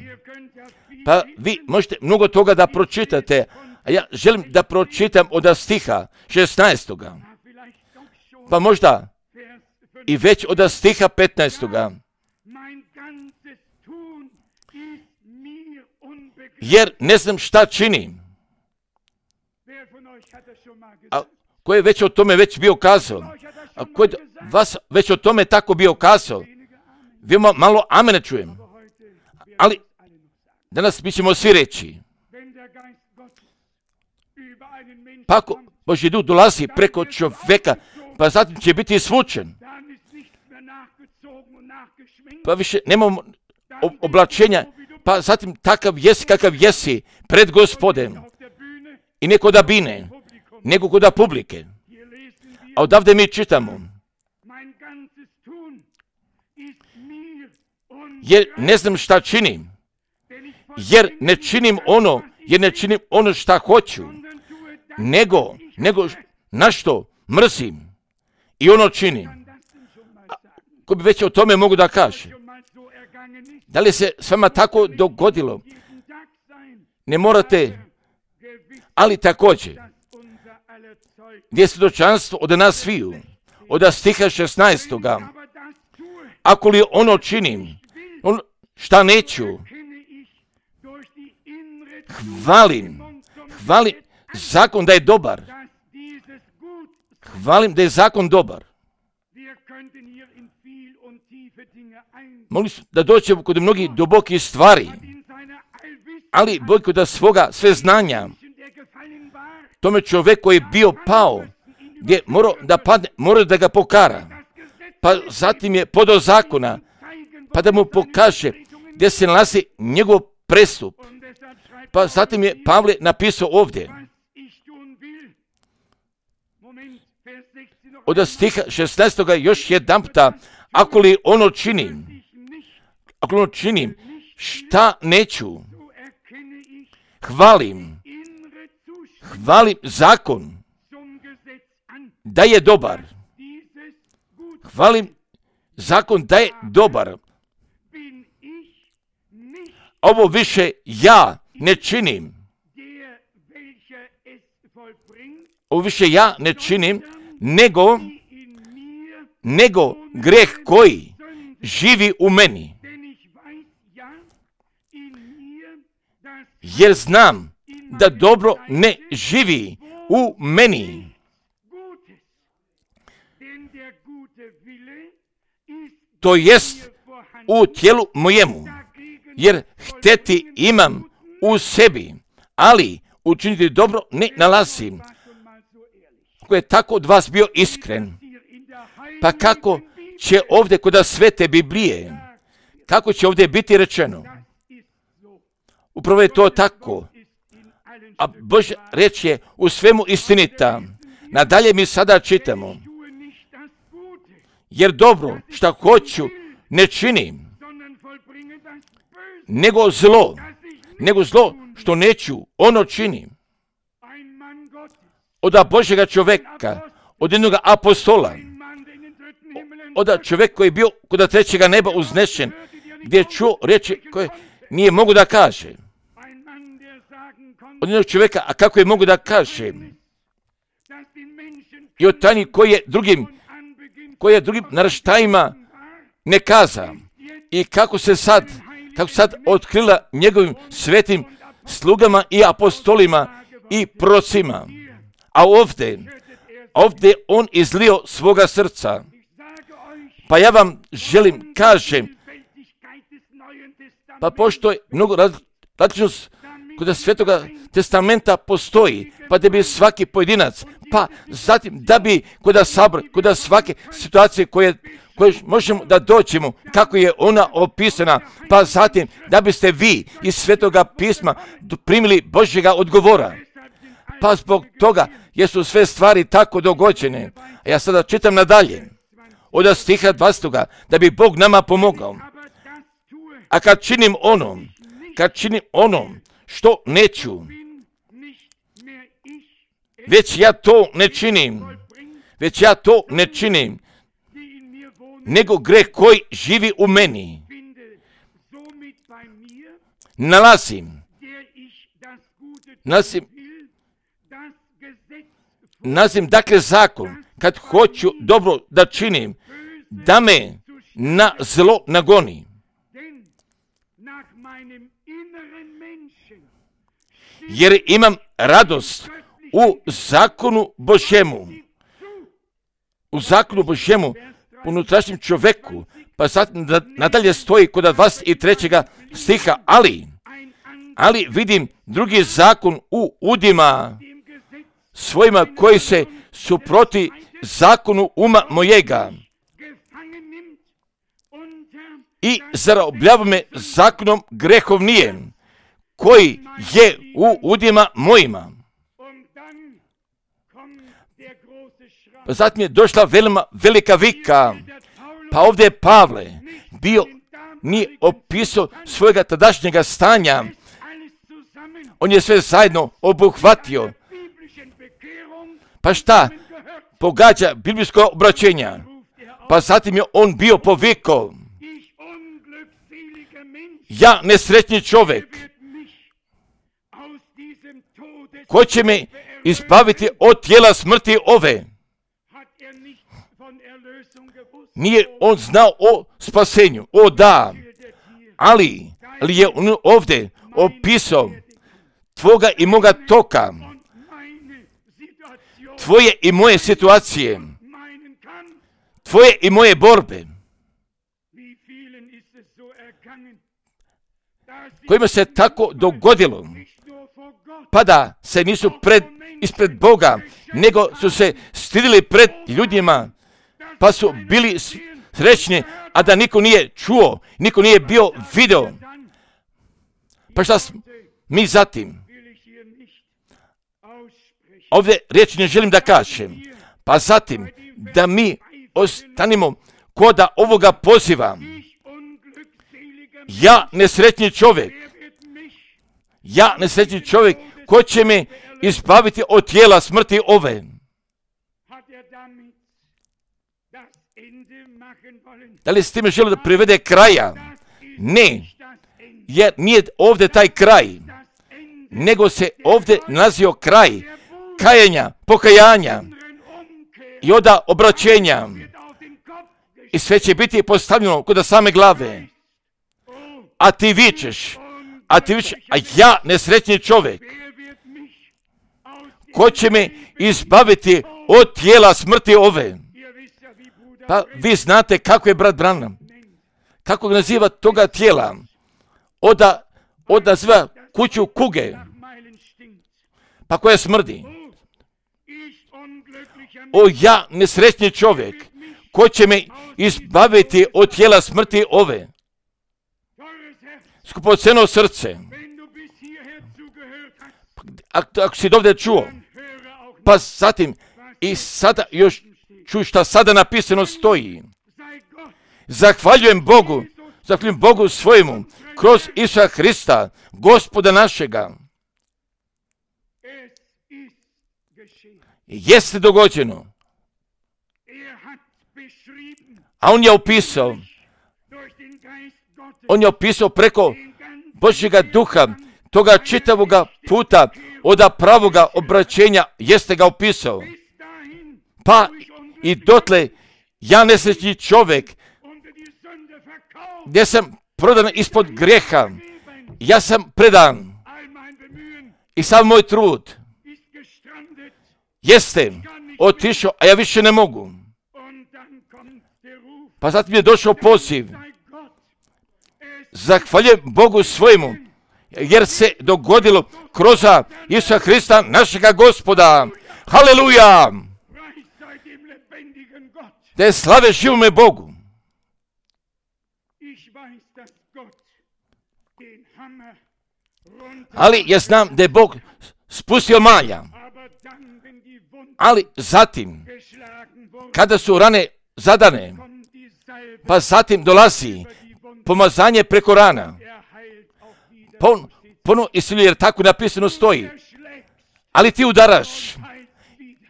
A: Pa vi možete mnogo toga da pročitate, a ja želim da pročitam od stiha šesnaestoga. Pa možda i već od stiha petnaestoga. Jer ne znam šta činim. A ko je već o tome već bio kazao? A ko je vas već o tome tako bio kazao? Vi malo amena čujem. Ali danas mi ćemo svi reći. Pa ako Božji duh dolazi preko čovjeka, pa zatim će biti svučen. Pa više nemamo oblačenja, pa zatim takav jesi kakav jesi pred Gospodem. I neko da bine, nego koda publike. A odavde mi čitamo. Jer ne znam šta činim. Jer ne činim ono, jer ne činim ono šta hoću. Nego, nego na što mrzim. I ono činim. A, ko bi već o tome mogu da kaže? Da li se s vama tako dogodilo? Ne morate, ali također, gdje je svjedočanstvo od nas sviju, od stiha šesnaestoga. Ako li ono činim, on, šta neću, hvalim, hvalim zakon da je dobar. Hvalim da je zakon dobar. Mogli su da dođemo kod mnogih dubokih stvari, ali Bog kod svoga sve znanja, tome čovjek koji je bio pao, gdje morao da padne, morao da ga pokara, pa zatim je podao zakona, pa da mu pokaže gdje se nalazi njegov prestup. Pa zatim je Pavle napisao ovdje, od stiha šesnaestoga još jedan puta, ako li ono činim, ako ono činim, šta neću, hvalim, hvalim zakon, da je dobar. Hvalim zakon da je dobar. Ovo više ja ne činim. Ovo više ja ne činim, nego, nego greh koji živi u meni. Jer znam da dobro ne živi u meni. To jest u tijelu mojemu, jer hteti imam u sebi, ali učiniti dobro ne nalazim. Ako je tako od vas bio iskren, pa kako će ovdje kod svete Biblije, kako će ovdje biti rečeno? Upravo je to tako. A Božja reč je u svemu istinita. Nadalje mi sada čitamo. jer dobro šta hoću ne činim, nego zlo, nego zlo što neću, ono činim. Od Božjega čovjeka, od jednog apostola, od čovjeka koji je bio kod trećega neba uznešen, gdje je čuo riječi koje nije mogu da kaže. Od jednog čovjeka, a kako je mogu da kaže? I od tajni koji je drugim, koji je drugim naraštajima ne kaza. I kako se sad, kako sad otkrila njegovim svetim slugama i apostolima i procima. A ovdje, ovdje on izlio svoga srca. Pa ja vam želim, kažem, pa pošto je mnogo različnost kod Svetoga testamenta postoji, pa da bi svaki pojedinac, pa zatim da bi kod sabor, kod svake situacije koje, koje možemo da dođemo, kako je ona opisana, pa zatim da biste vi iz Svetoga pisma primili Božjega odgovora. Pa zbog toga jesu sve stvari tako dogođene. A ja sada čitam nadalje, od stiha dvadesetog da bi Bog nama pomogao. A kad činim ono, kad činim ono što neću, već ja to ne činim, već ja to ne činim, nego greh koji živi u meni. Nalazim, nalazim, nalazim dakle zakon, kad hoću dobro da činim, da me na zlo nagoni. Jer imam radost u zakonu Božjemu, u zakonu Božjemu, unutrašnjem čovjeku, pa sad nadalje stoji kod dvadeset trećeg stiha, ali, ali vidim drugi zakon u udima svojima koji se suproti zakonu uma mojega i zarobljava me zakonom grehovnijem, koji je u udima mojima. Pa zatim je došla velima, velika vika, pa ovdje je Pavle bio, nije opisao svojega tadašnjega stanja, on je sve zajedno obuhvatio. Pa šta pogađa biblijsko obraćenja? Pa zatim je on bio povikao, ja nesretni čovjek, ko će me izbaviti od tijela smrti ove? Nije on znao o spasenju, o da, ali, ali je on ovdje opisao tvoga i moga toka, tvoje i moje situacije, tvoje i moje borbe, kojima se tako dogodilo, pa da se nisu pred, ispred Boga, nego su se stidili pred ljudima, pa su bili srećni, a da niko nije čuo, niko nije bio video. Pa šta mi zatim? Ovdje riječ ne želim da kažem. Pa zatim da mi ostanimo koda ovoga poziva. Ja nesretni čovjek, ja nesretni čovjek, ko će me izbaviti od tijela smrti ove? Da li s time želi da privede kraja? Ne, jer nije ovdje taj kraj, nego se ovdje nalazio kraj kajenja, pokajanja i onda obraćenja. I sve će biti postavljeno kod same glave. A ti vičeš, a ti vičeš, a ja nesretni čovjek, ko će me izbaviti od tijela smrti ove? Pa vi znate kako je brat Branham, kako ga naziva toga tijela, oda, od naziva kuću kuge, pa koja smrdi. O ja nesretni čovjek, ko će me izbaviti od tijela smrti ove? Skupoceno srce, ako, ako si dovde čuo, pa zatim i sada još čuj šta sada napisano stoji. Zahvaljujem Bogu, zahvaljujem Bogu svojemu, kroz Isusa Hrista, Gospoda našega. Jeste dogođeno. A on je opisao, on je opisao preko Božjega duha, toga čitavoga puta, od pravoga obraćenja, jeste ga opisao. Pa i dotle, ja nesrećni čovjek, gdje sam prodan ispod grijeha, ja sam predan i sav moj trud jeste otišao, a ja više ne mogu. Pa zatim je došao poziv. Zahvaljujem Bogu svojemu, jer se dogodilo kroz Isusa Hrista, našega Gospoda. Haleluja! Da je slave živome Bogu. Ali ja znam da je Bog spustio malja. Ali zatim, kada su rane zadane, pa zatim dolazi pomazanje preko rana. Pon, pono isciljuje, jer tako napisano stoji. Ali ti udaraš,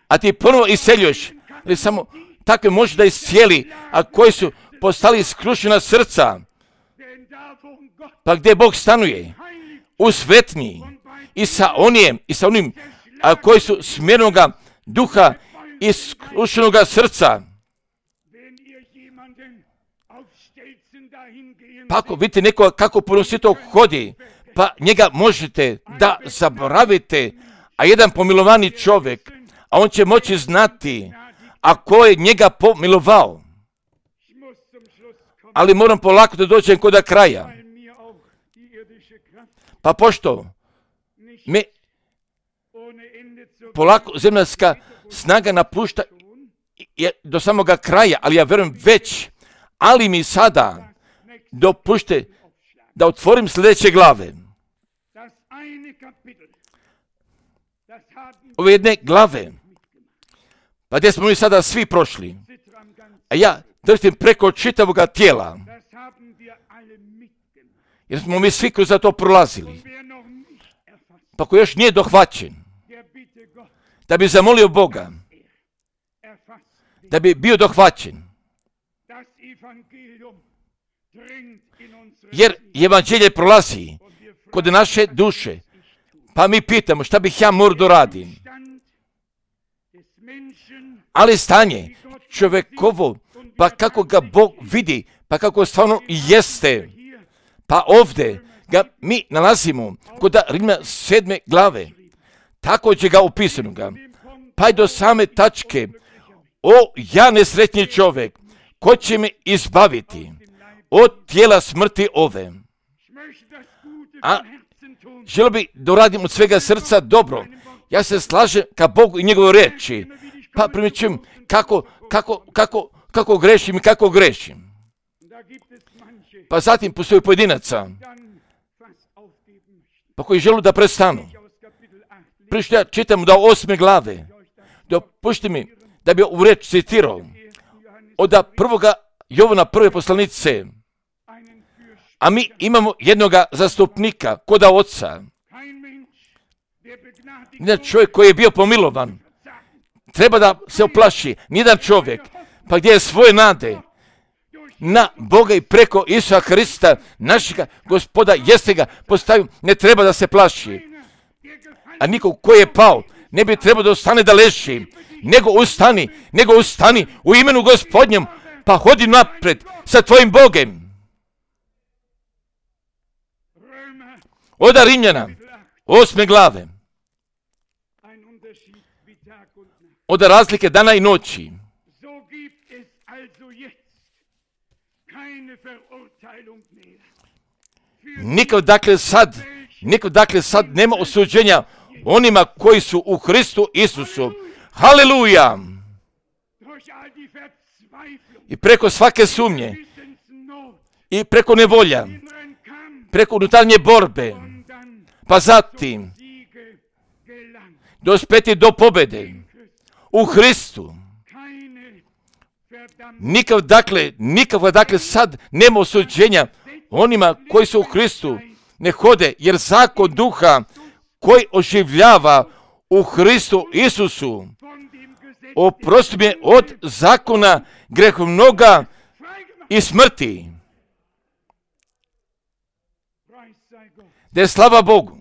A: a ti ponovo isceljuješ. Ali samo takve može da iscijeli, a koji su postali skrušena srca. Pa gdje Bog stanuje? U svetnji. I sa onijem, i sa onim, a koji su smjernoga duha i skrušenoga srca. Pa ako vidite nekoga kako ponosito hodi, pa njega možete da zaboravite, a jedan pomilovani čovjek, a on će moći znati, a ko je njega pomilovao. Ali moram polako da dođem kod kraja. Pa pošto me polako zemljska snaga napušta je do samoga kraja, ali ja verujem već, ali mi sada dopušte da otvorim sljedeće glave. Ove jedne glave, pa gdje smo mi sada svi prošli, a ja držim preko čitavoga tijela, jer smo mi svi kroz to prolazili. Pa ko još nije dohvaćen, da bi zamolio Boga, da bi bio dohvaćen, jer evanđelje prolazi kod naše duše, pa mi pitamo šta bih ja morao da radim. Ali stanje čovjekovo, pa kako ga Bog vidi, pa kako stvarno jeste, pa ovdje ga mi nalazimo kod Rimljana sedme glave, također ga opisano ga, pa i do same tačke, o ja nesretni čovjek, ko će me izbaviti od tijela smrti ove. A želio bi da radim od svega srca dobro. Ja se slažem ka Bogu i njegove reči. Pa primjećujem kako, kako, kako, kako grešim i kako grešim. Pa zatim postoji pojedinaca, pa koji žele da prestanu. Prije što ja čitam da osme glave, dopušti mi da bi ovu reč citirao od prvoga Jovana prve poslanice, a mi imamo jednoga zastupnika koda oca. Nijedan čovjek koji je bio pomilovan treba da se oplaši. Nijedan čovjek, pa gdje je svoje nade na Boga i preko Isusa Hrista, našega Gospoda, jeste ga postavio, ne treba da se plaši. A niko koji je pao, ne bi trebao da ostane da leži, nego ustani, nego ustani u imenu Gospodnjem, pa hodi napred sa tvojim Bogem. Od Rimljana, osme glave, od razlike dana i noći. Nikad dakle sad, nikad dakle sad nema osuđenja onima koji su u Hristu Isusu. Haleluja! I preko svake sumnje, i preko nevolja, preko unutarnje borbe, pa zatim dospeti do pobjede u Hristu. Nikav dakle, nikav dakle sad nema osuđenja onima koji su u Hristu ne hode, jer zakon duha koji oživljava u Hristu Isusu oprosti me od zakona grehovnoga i smrti. Da je slava Bogu.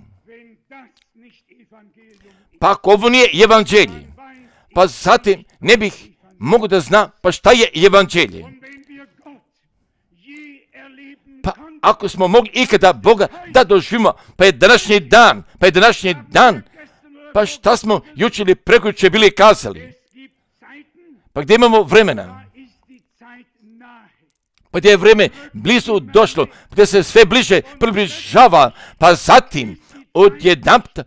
A: Pa ako ovo nije evanđelje, pa zatim ne bih mogu da zna pa šta je evanđelje. Pa ako smo mogli ikada Boga da doživimo, pa je današnji dan, pa je današnji dan, pa šta smo jučer ili prekjučer bili kazali? Pa gdje imamo vremena? Pa gdje je vreme blizu došlo, gdje se sve bliže približava, pa zatim odjedanputa,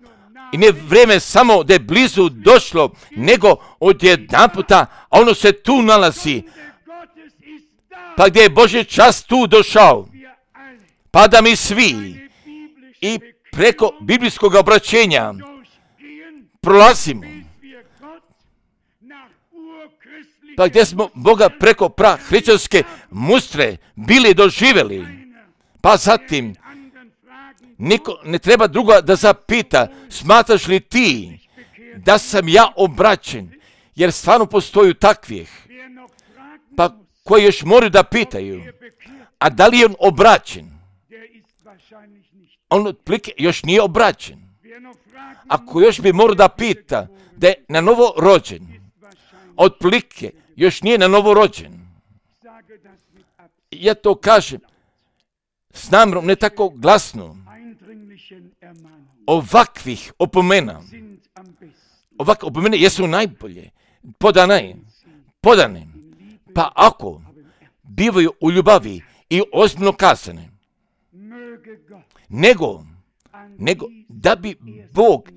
A: i ne vrijeme samo da je blizu došlo, nego odjedanputa, a ono se tu nalazi. Pa gdje je Božji čas tu došao, pa da mi svi i preko biblijskog obraćenja prolazimo. Pa gdje smo Boga preko prahrišćanske mustre bili doživjeli. Pa zatim, niko ne treba druga da zapita, smatraš li ti da sam ja obraćen, jer stvarno postoju takvih. Pa koji još moraju da pitaju, a da li je on obraćen? On otplike još nije obraćen. Ako još bi morao da pita da je na novo rođen, otplike još nije na novo rođen. Ja to kažem s namjerom, ne tako glasno. Ovakvih opomena, ovakve opomene jesu najbolje, podane, podane. Pa ako bivaju u ljubavi i ozbiljno kazane, nego, nego da bi Bog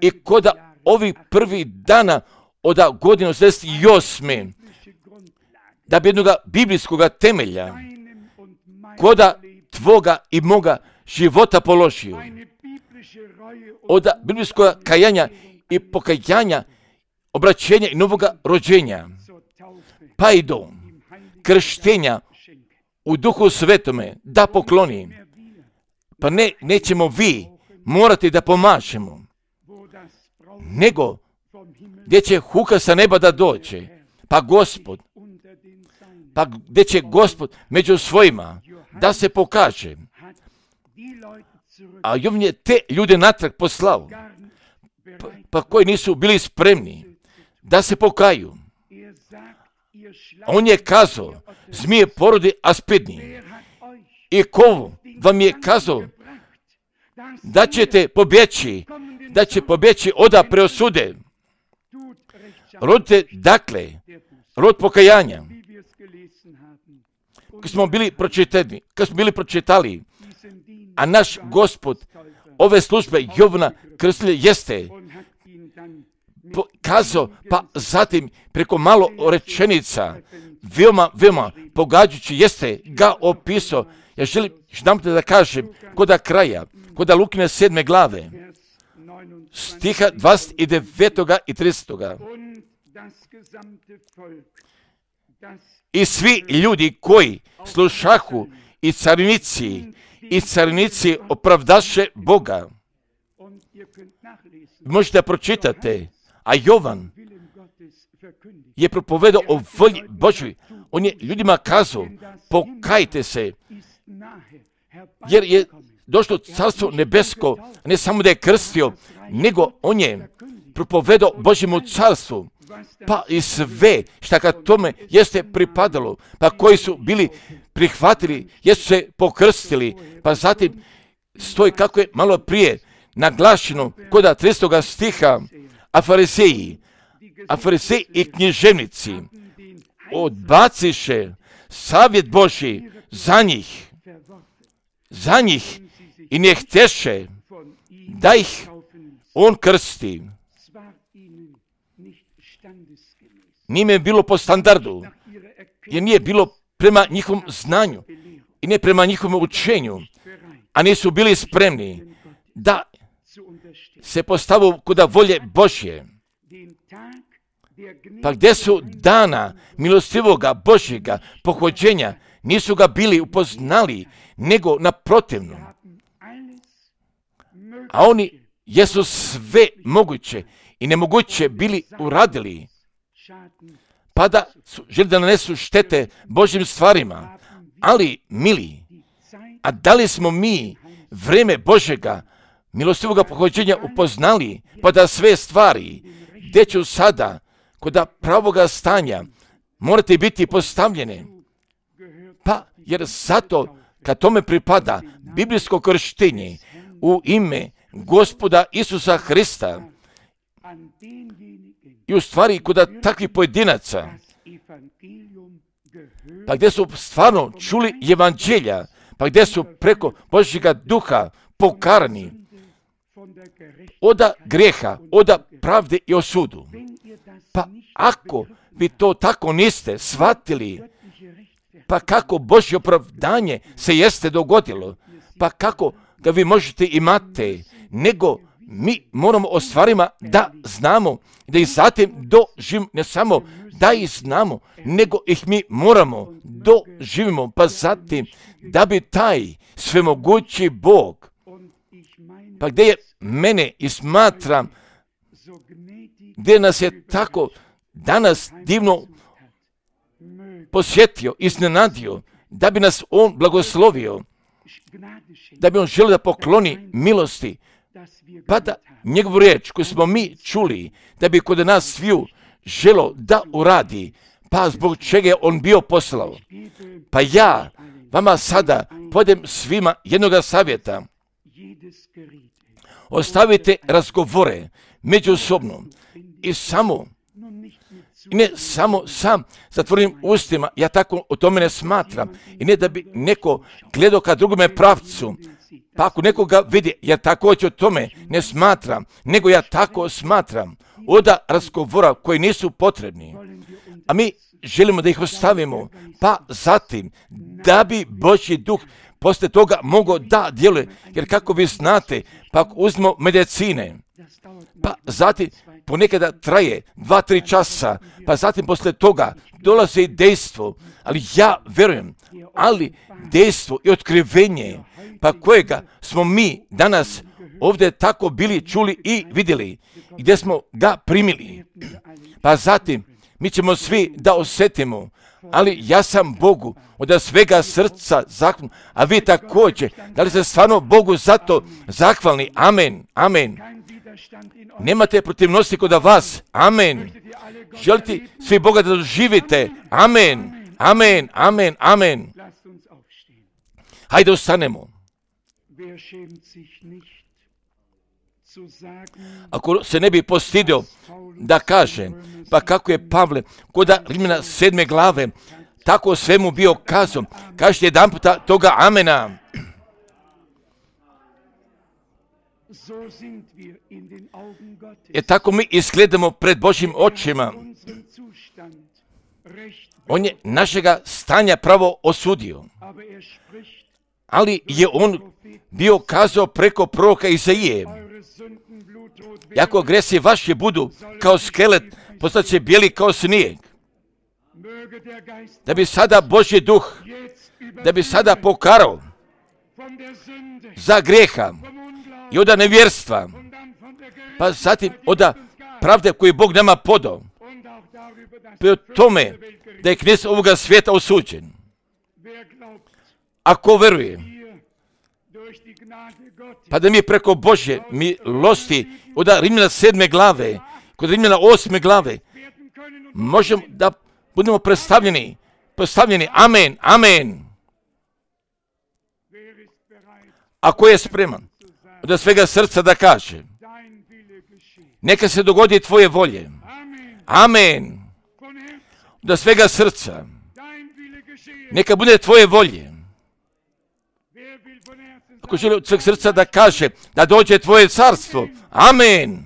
A: i koda ovih prvih dana od godine osamdeset osme da bi jednoga biblijskog temelja koda tvoga i moga života položio, od biblijskog kajanja i pokajanja, obraćenja i novoga rođenja, pa i do krštenja u Duhu Svetome da pokloni. Pa ne, nećemo vi morati da pomažemo, nego gdje će huka sa neba da dođe, pa Gospod, pa gdje će Gospod među svojima da se pokaže. A Jovan je te ljude natrag poslao, pa, pa koji nisu bili spremni da se pokaju. On je kazao, zmije porodi aspidni. I ko vam je kazao da ćete pobjeći, da će pobjeći oda preosude. Rodite, dakle, rod pokajanja. Kad smo bili pročitani, kad smo bili pročitali, a naš Gospod ove službe Jovana Krstitelja jeste kazao, pa zatim preko malo rečenica, veoma, veoma pogađajući jeste ga opisao. Ja želim jedanput da kažem, koda kraja, koda Lukine sedme glave, stiha dvadeset devet i trideset. I svi ljudi koji slušahu i carinici, i carinici opravdaše Boga. Možete da pročitate, a Jovan je propovedao o volji Božoj. On je ljudima kazao, pokajte se, jer je došlo carstvo nebesko, ne samo da je krstio, nego on je propovedao Božjemu carstvu, pa i sve šta kad tome jeste pripadalo, pa koji su bili prihvatili, jesu se pokrstili, pa zatim stoji kako je malo prije naglašeno koda tridesetog stiha, a fariseji, a fariseji i književnici odbaciše savjet Božji za njih, za njih i ne hteše da ih on krsti. Nije bilo po standardu, jer nije bilo prema njihovom znanju i ne prema njihovom učenju, a nisu bili spremni da se postavu kod volje Božje. Pa gdje su dana milostivoga Božjega pohođenja, nisu ga bili upoznali, nego naprotivno. A oni jesu sve moguće i nemoguće bili uradili, pa da su želi da nanesu štete Božjim stvarima. Ali, mili, a da li smo mi vreme Božjega milostivoga pohođenja upoznali, pa da sve stvari, gdje ću sada, kod pravoga stanja, morate biti postavljene? Pa, jer zato, kad tome pripada biblijsko krštenje u ime Gospoda Isusa Hrista, i u stvari kod takvih pojedinaca, pa gdje su stvarno čuli evanđelja, pa gdje su preko Božjega duha pokarani oda grijeha, oda pravde i osudu. Pa ako vi to tako niste shvatili, pa kako Božje opravdanje se jeste dogodilo, pa kako ga vi možete imati, nego mi moramo o stvarima da znamo, da ih zatim doživimo, ne samo da ih znamo, nego ih mi moramo doživimo, pa zatim da bi taj svemogući Bog, pa gdje je mene i smatram, gdje nas je tako danas divno posjetio, iznenadio, da bi nas on blagoslovio, da bi on želio da pokloni milosti, pa da njegovu riječ koju smo mi čuli, da bi kod nas sviju želo da uradi, pa zbog čega je on bio poslao. Pa ja vama sada podem svima jednoga savjeta. Ostavite razgovore međusobno i samo, i ne samo sam zatvorenim ustima, ja tako o tome ne smatram, i ne da bi neko gledao ka drugome pravcu, pa ako nekoga vidi, ja također o tome ne smatram, nego ja tako smatram, oda razgovora koji nisu potrebni, a mi želimo da ih ostavimo, pa zatim da bi Božji duh poslije toga mogao da djeluje, jer kako vi znate, pa ako uzmemo medicine, pa zatim ponekada traje dva, tri časa, pa zatim poslije toga dolazi dejstvo, ali ja verujem, ali dejstvo i otkrivenje, pa kojega smo mi danas ovdje tako bili čuli i vidjeli, gdje smo ga primili, pa zatim mi ćemo svi da osjetimo, ali ja sam Bogu od svega srca zahvalan, a vi također, da li ste stvarno Bogu zato zahvalni? Amen, amen. Nemate protivnosti kod vas? Amen. Želite svi Boga da doživite? Amen, amen, amen, amen. Hajde ustanemo. Ako se ne bi postidio da kaže, pa kako je Pavle kod Rimljana sedme glave, tako svemu bio kazao, kažete jedan puta toga amena. Jer tako mi izgledamo pred Božjim očima. On je našega stanja pravo osudio, ali je on bio kazao preko proroka Izaije, jako gresi vaši budu kao skelet, postat će bijeli kao snijeg. Da bi sada Božji duh, da bi sada pokarao za grijeha i od nevjerstva, pa zatim od pravde koju Bog nama podao, pa o tome da je knez ovoga svijeta osuđen. Ako veruje, pa da mi preko Božje milosti od Rimljana sedme glave, kod Rimljana osme glave, možemo da budemo predstavljeni, postavljeni, amen, amen. Ako je spreman od svega srca da kaže, neka se dogodi tvoje volje, amen, od svega srca, neka bude tvoje volje. Ako želi od sveg srca da kaže da dođe tvoje carstvo, amen.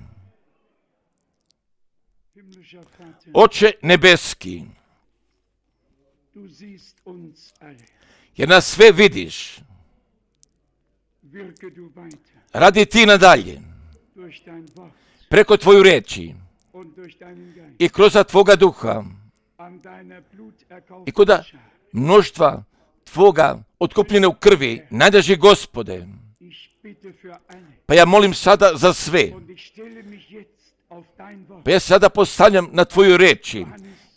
A: Oče nebeski, jer nas sve vidiš, radi ti nadalje, preko tvoju reči i kroz Tvoga duha i kod mnoštva Tvoga otkupljene u krvi, najdraži Gospode. Pa ja molim sada za sve. Pa ja sada postavljam na Tvoju reči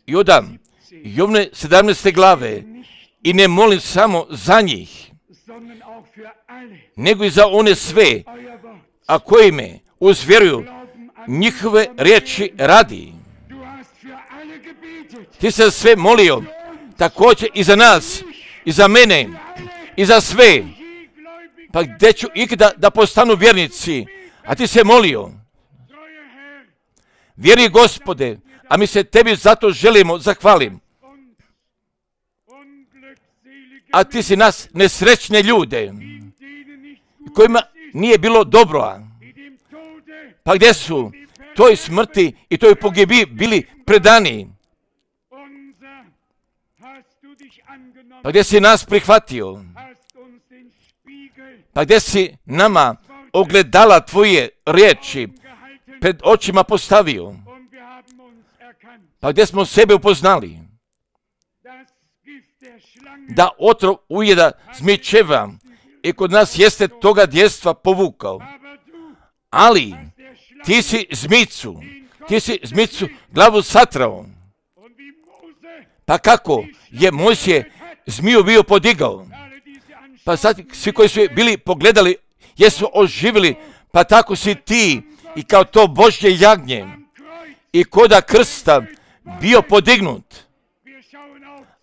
A: i odam Jovne sedamnaeste glave i ne molim samo za njih, nego i za one sve, a koji me uzvjeruju njihove riječi radi. Ti se sve molio, također i za nas, i za mene, i za sve. Pa gdje ću ikada da postanu vjernici, a ti se molio. Vjeri Gospode, a mi se Tebi zato želimo zahvalim. A ti si nas nesrećne ljude, kojima nije bilo dobro. Pa gdje su toj smrti i toj pogibi bili predani? Pa gdje si nas prihvatio? Pa gdje si nama ogledala Tvoje riječi pred očima postavio? Pa gdje smo sebe upoznali? Da otrov ujeda zmičeva i kod nas jeste toga djestva povukao. Ali ti si zmicu, ti si zmicu glavu satrao. Pa kako je Mojsije zmiju bio podigao? Pa sad svi koji su bili pogledali, jesu oživili, pa tako si ti i kao to Božje jagnje i koda krsta bio podignut.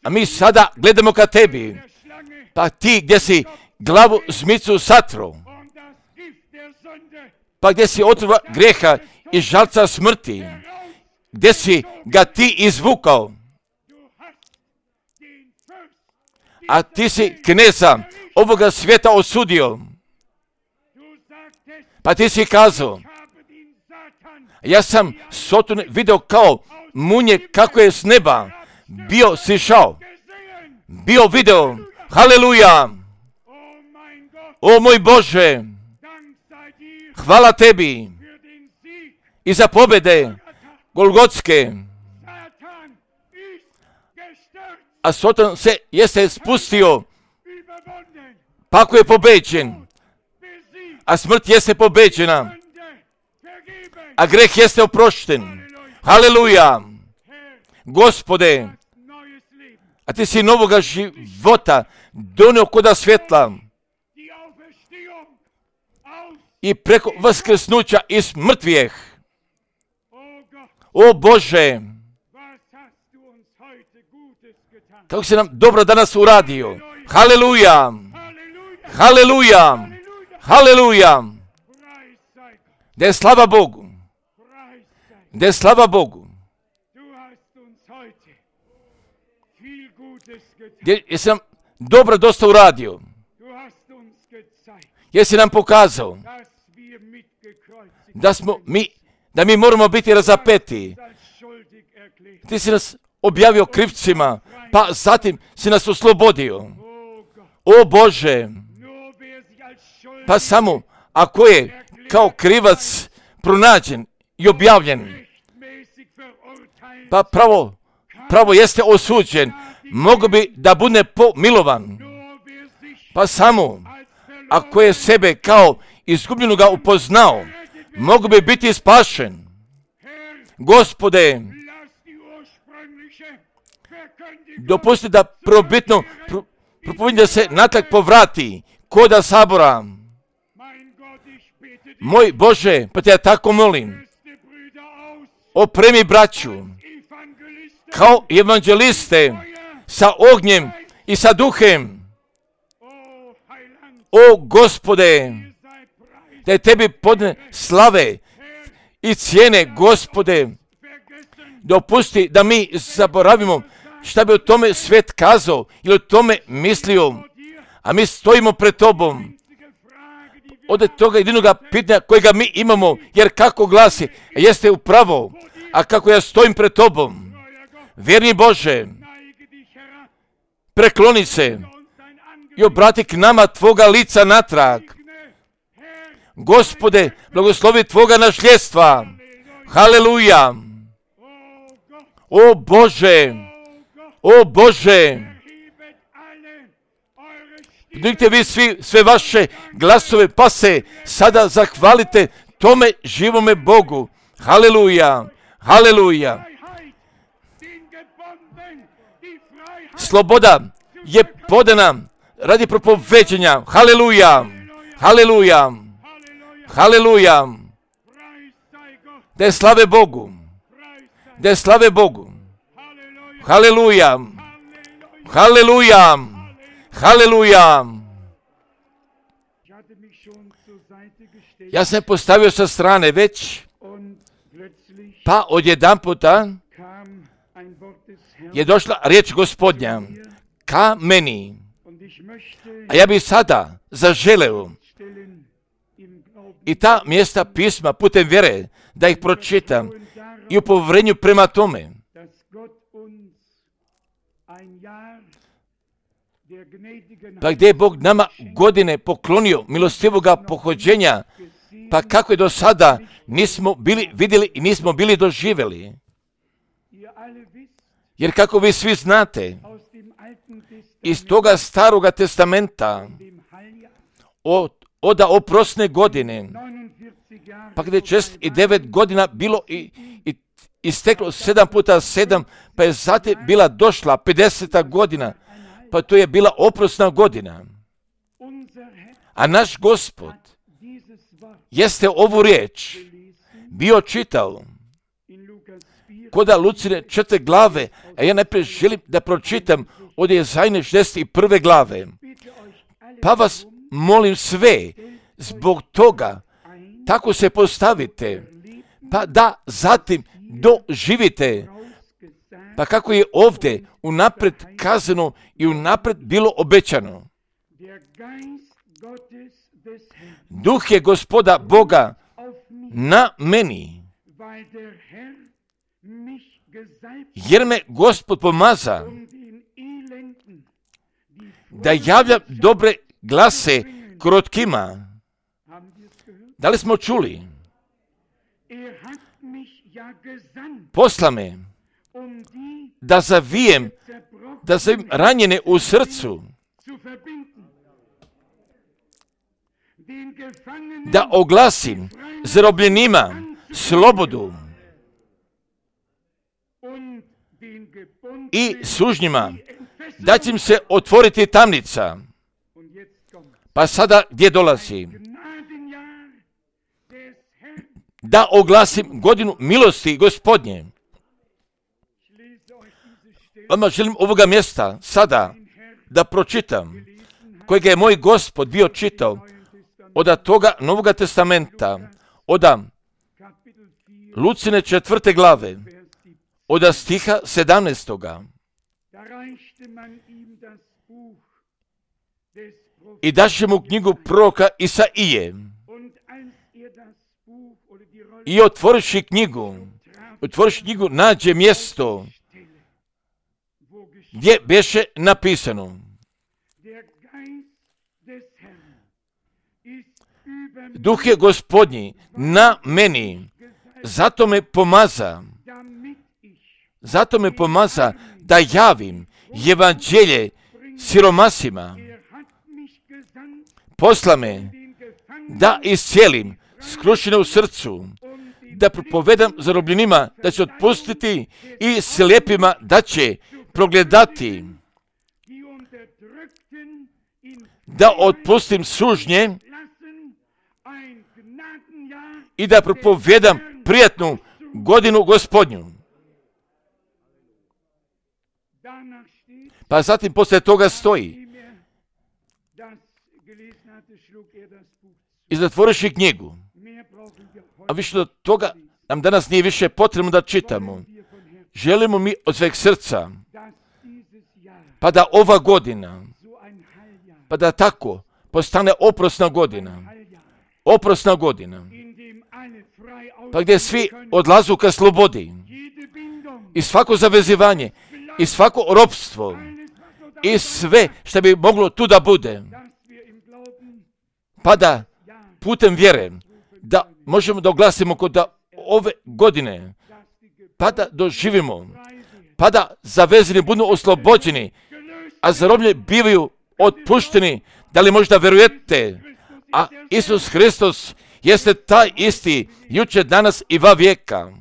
A: A mi sada gledamo ka Tebi, pa ti gdje si glavu zmicu satro, pa gdje si otrova greha i žalca smrti, gdje si ga ti izvukao, a ti si kneza ovoga svijeta osudio, pa ti si kazao, ja sam Sotone video kao munje kako je s neba bio sišao, bio video, haleluja, o moj Bože, hvala Tebi i za pobjede Golgotske, a Sotan se jeste spustio, pa ako je pobeđen, a smrt jeste pobeđena, a greh jeste oprošten, haleluja, Gospode, a ti si novoga života donio koda svjetla i preko vaskrsnuća iz mrtvijeh. O Bože, kako si nam dobro danas uradio. Haleluja, haleluja, haleluja. Da je slava Bogu, da je slava Bogu. Jesi nam dobro dosta uradio. Jesi nam pokazao da smo mi, da mi moramo biti razapeti. Ti si nas objavio krivcima, pa zatim si nas oslobodio. O Bože, pa samo ako je kao krivac pronađen i objavljen, pa pravo, pravo jeste osuđen, mogu bi da bude pomilovan. Pa samo ako je sebe kao izgubljenoga upoznao, mogu bi biti spašen. Gospode, dopusti da probitno pro, propovijedanje se natrag povrati koda sabora. Moj Bože, pa te ja tako molim, opremi braću kao evanđeliste sa ognjem i sa duhem. O Gospode, da je Tebi podne slave i cijene, Gospode. Dopusti da mi zaboravimo šta bi o tome svijet kazao ili o tome mislio, a mi stojimo pred Tobom. Od toga jedinoga pitanja kojega mi imamo, jer kako glasi, jeste upravo, a kako ja stojim pred Tobom. Vjerni Bože, prekloni se i obrati k nama Tvoga lica natrag. Gospode, blagoslovi Tvoga nasljedstva. Haleluja. O Bože, o Bože, digite vi svi, sve vaše glasove, pa se sada zahvalite tome živome Bogu. Haleluja, haleluja. Sloboda je podana radi propoveđenja. Haleluja, haleluja, haleluja. Da je slave Bogu, da je slave Bogu. Haleluja, haleluja, haleluja. Ja sam postavio sa strane već, pa odjedan puta je došla riječ Gospodnja ka meni. A ja bih sada zaželeo i ta mjesta pisma putem vjere da ih pročitam i u povjerenju prema tome. Pa gdje je Bog nama godine poklonio milostivoga pohođenja, pa kako je do sada nismo bili vidjeli i nismo bili doživjeli. Jer kako vi svi znate, iz toga staroga testamenta, od, od oprosne godine, pa gdje je čest i devet godina bilo i, i isteklo sedam puta sedam, pa je zatim bila došla pedeseta godina, pa to je bila oprosna godina. A naš Gospod jeste ovu riječ bio čitao koda Lucine četiri glave, a ja najprije želim da pročitam od Jezajne šezdeset prve glave. Pa vas molim sve, zbog toga, tako se postavite, pa da zatim doživite, pa kako je ovdje unapred kazano i unapred bilo obećano. Duh je Gospoda Boga na meni, jer me Gospod pomaza da javljam dobre glase krotkima. Da li smo čuli? Posla me da zavijem, da zavijem ranjene u srcu, da oglasim zarobljenima slobodu i sužnjima, da će im se otvoriti tamnica. Pa sada gdje dolazi? Da oglasim godinu milosti Gospodnje. Vama želim ovoga mjesta sada da pročitam, kojega je moj Gospod bio čitao od toga Novoga testamenta, od Lucine četvrte glave, od stiha sedamnaestoga. I daše mu knjigu proroka Isaije. I otvoriši knjigu, otvoriši knjigu, nađe mjesto gdje beše napisano: Duh je Gospodnji na meni, zato me pomaza, zato me pomaza da javim evanđelje siromasima. Posla me da iscijelim skrušene u srcu, da propovedam zarobljenima da će otpustiti i slijepima da će progledati, da otpustim sužnje i da propovedam prijatnu godinu Gospodnju. Pa zatim poslije toga stoji: i zatvoriši knjigu. A više od toga nam danas nije više potrebno da čitamo. Želimo mi od sveg srca, pa da ova godina, pa da tako postane oprosna godina. Oprosna godina. Pa gdje svi odlazu ka slobodi. I svako zavezivanje, i svako ropstvo, i sve što bi moglo tu da bude. Pa da putem vjere, da možemo da oglasimo kod ove godine, pa da doživimo pa da zavezani budu oslobođeni, a zarobljeni bivaju otpušteni. Da li možda verujete? A Isus Hristos jeste taj isti, jučer, danas i va vijeka.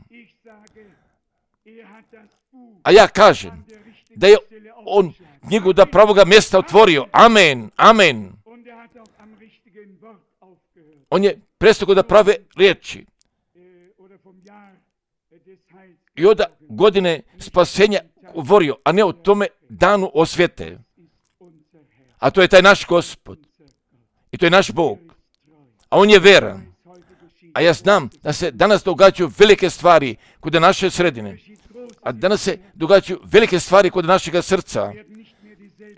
A: A ja kažem da je on knjigu da pravoga mjesta otvorio. Amen, amen. On je prestao da prave riječi. I od godine spasenja govorio, a ne o tome danu osvete. A to je taj naš Gospod. I to je naš Bog. A on je vera. A ja znam da se danas događaju velike stvari kod naše sredine. A danas se događaju velike stvari kod našega srca.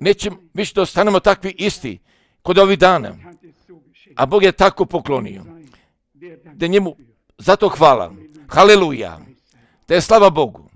A: Nećemo više da ostanemo takvi isti kod ovih dana. A Bog je tako poklonio. Da njemu zato hvala. Haleluja. Da je slava Bogu.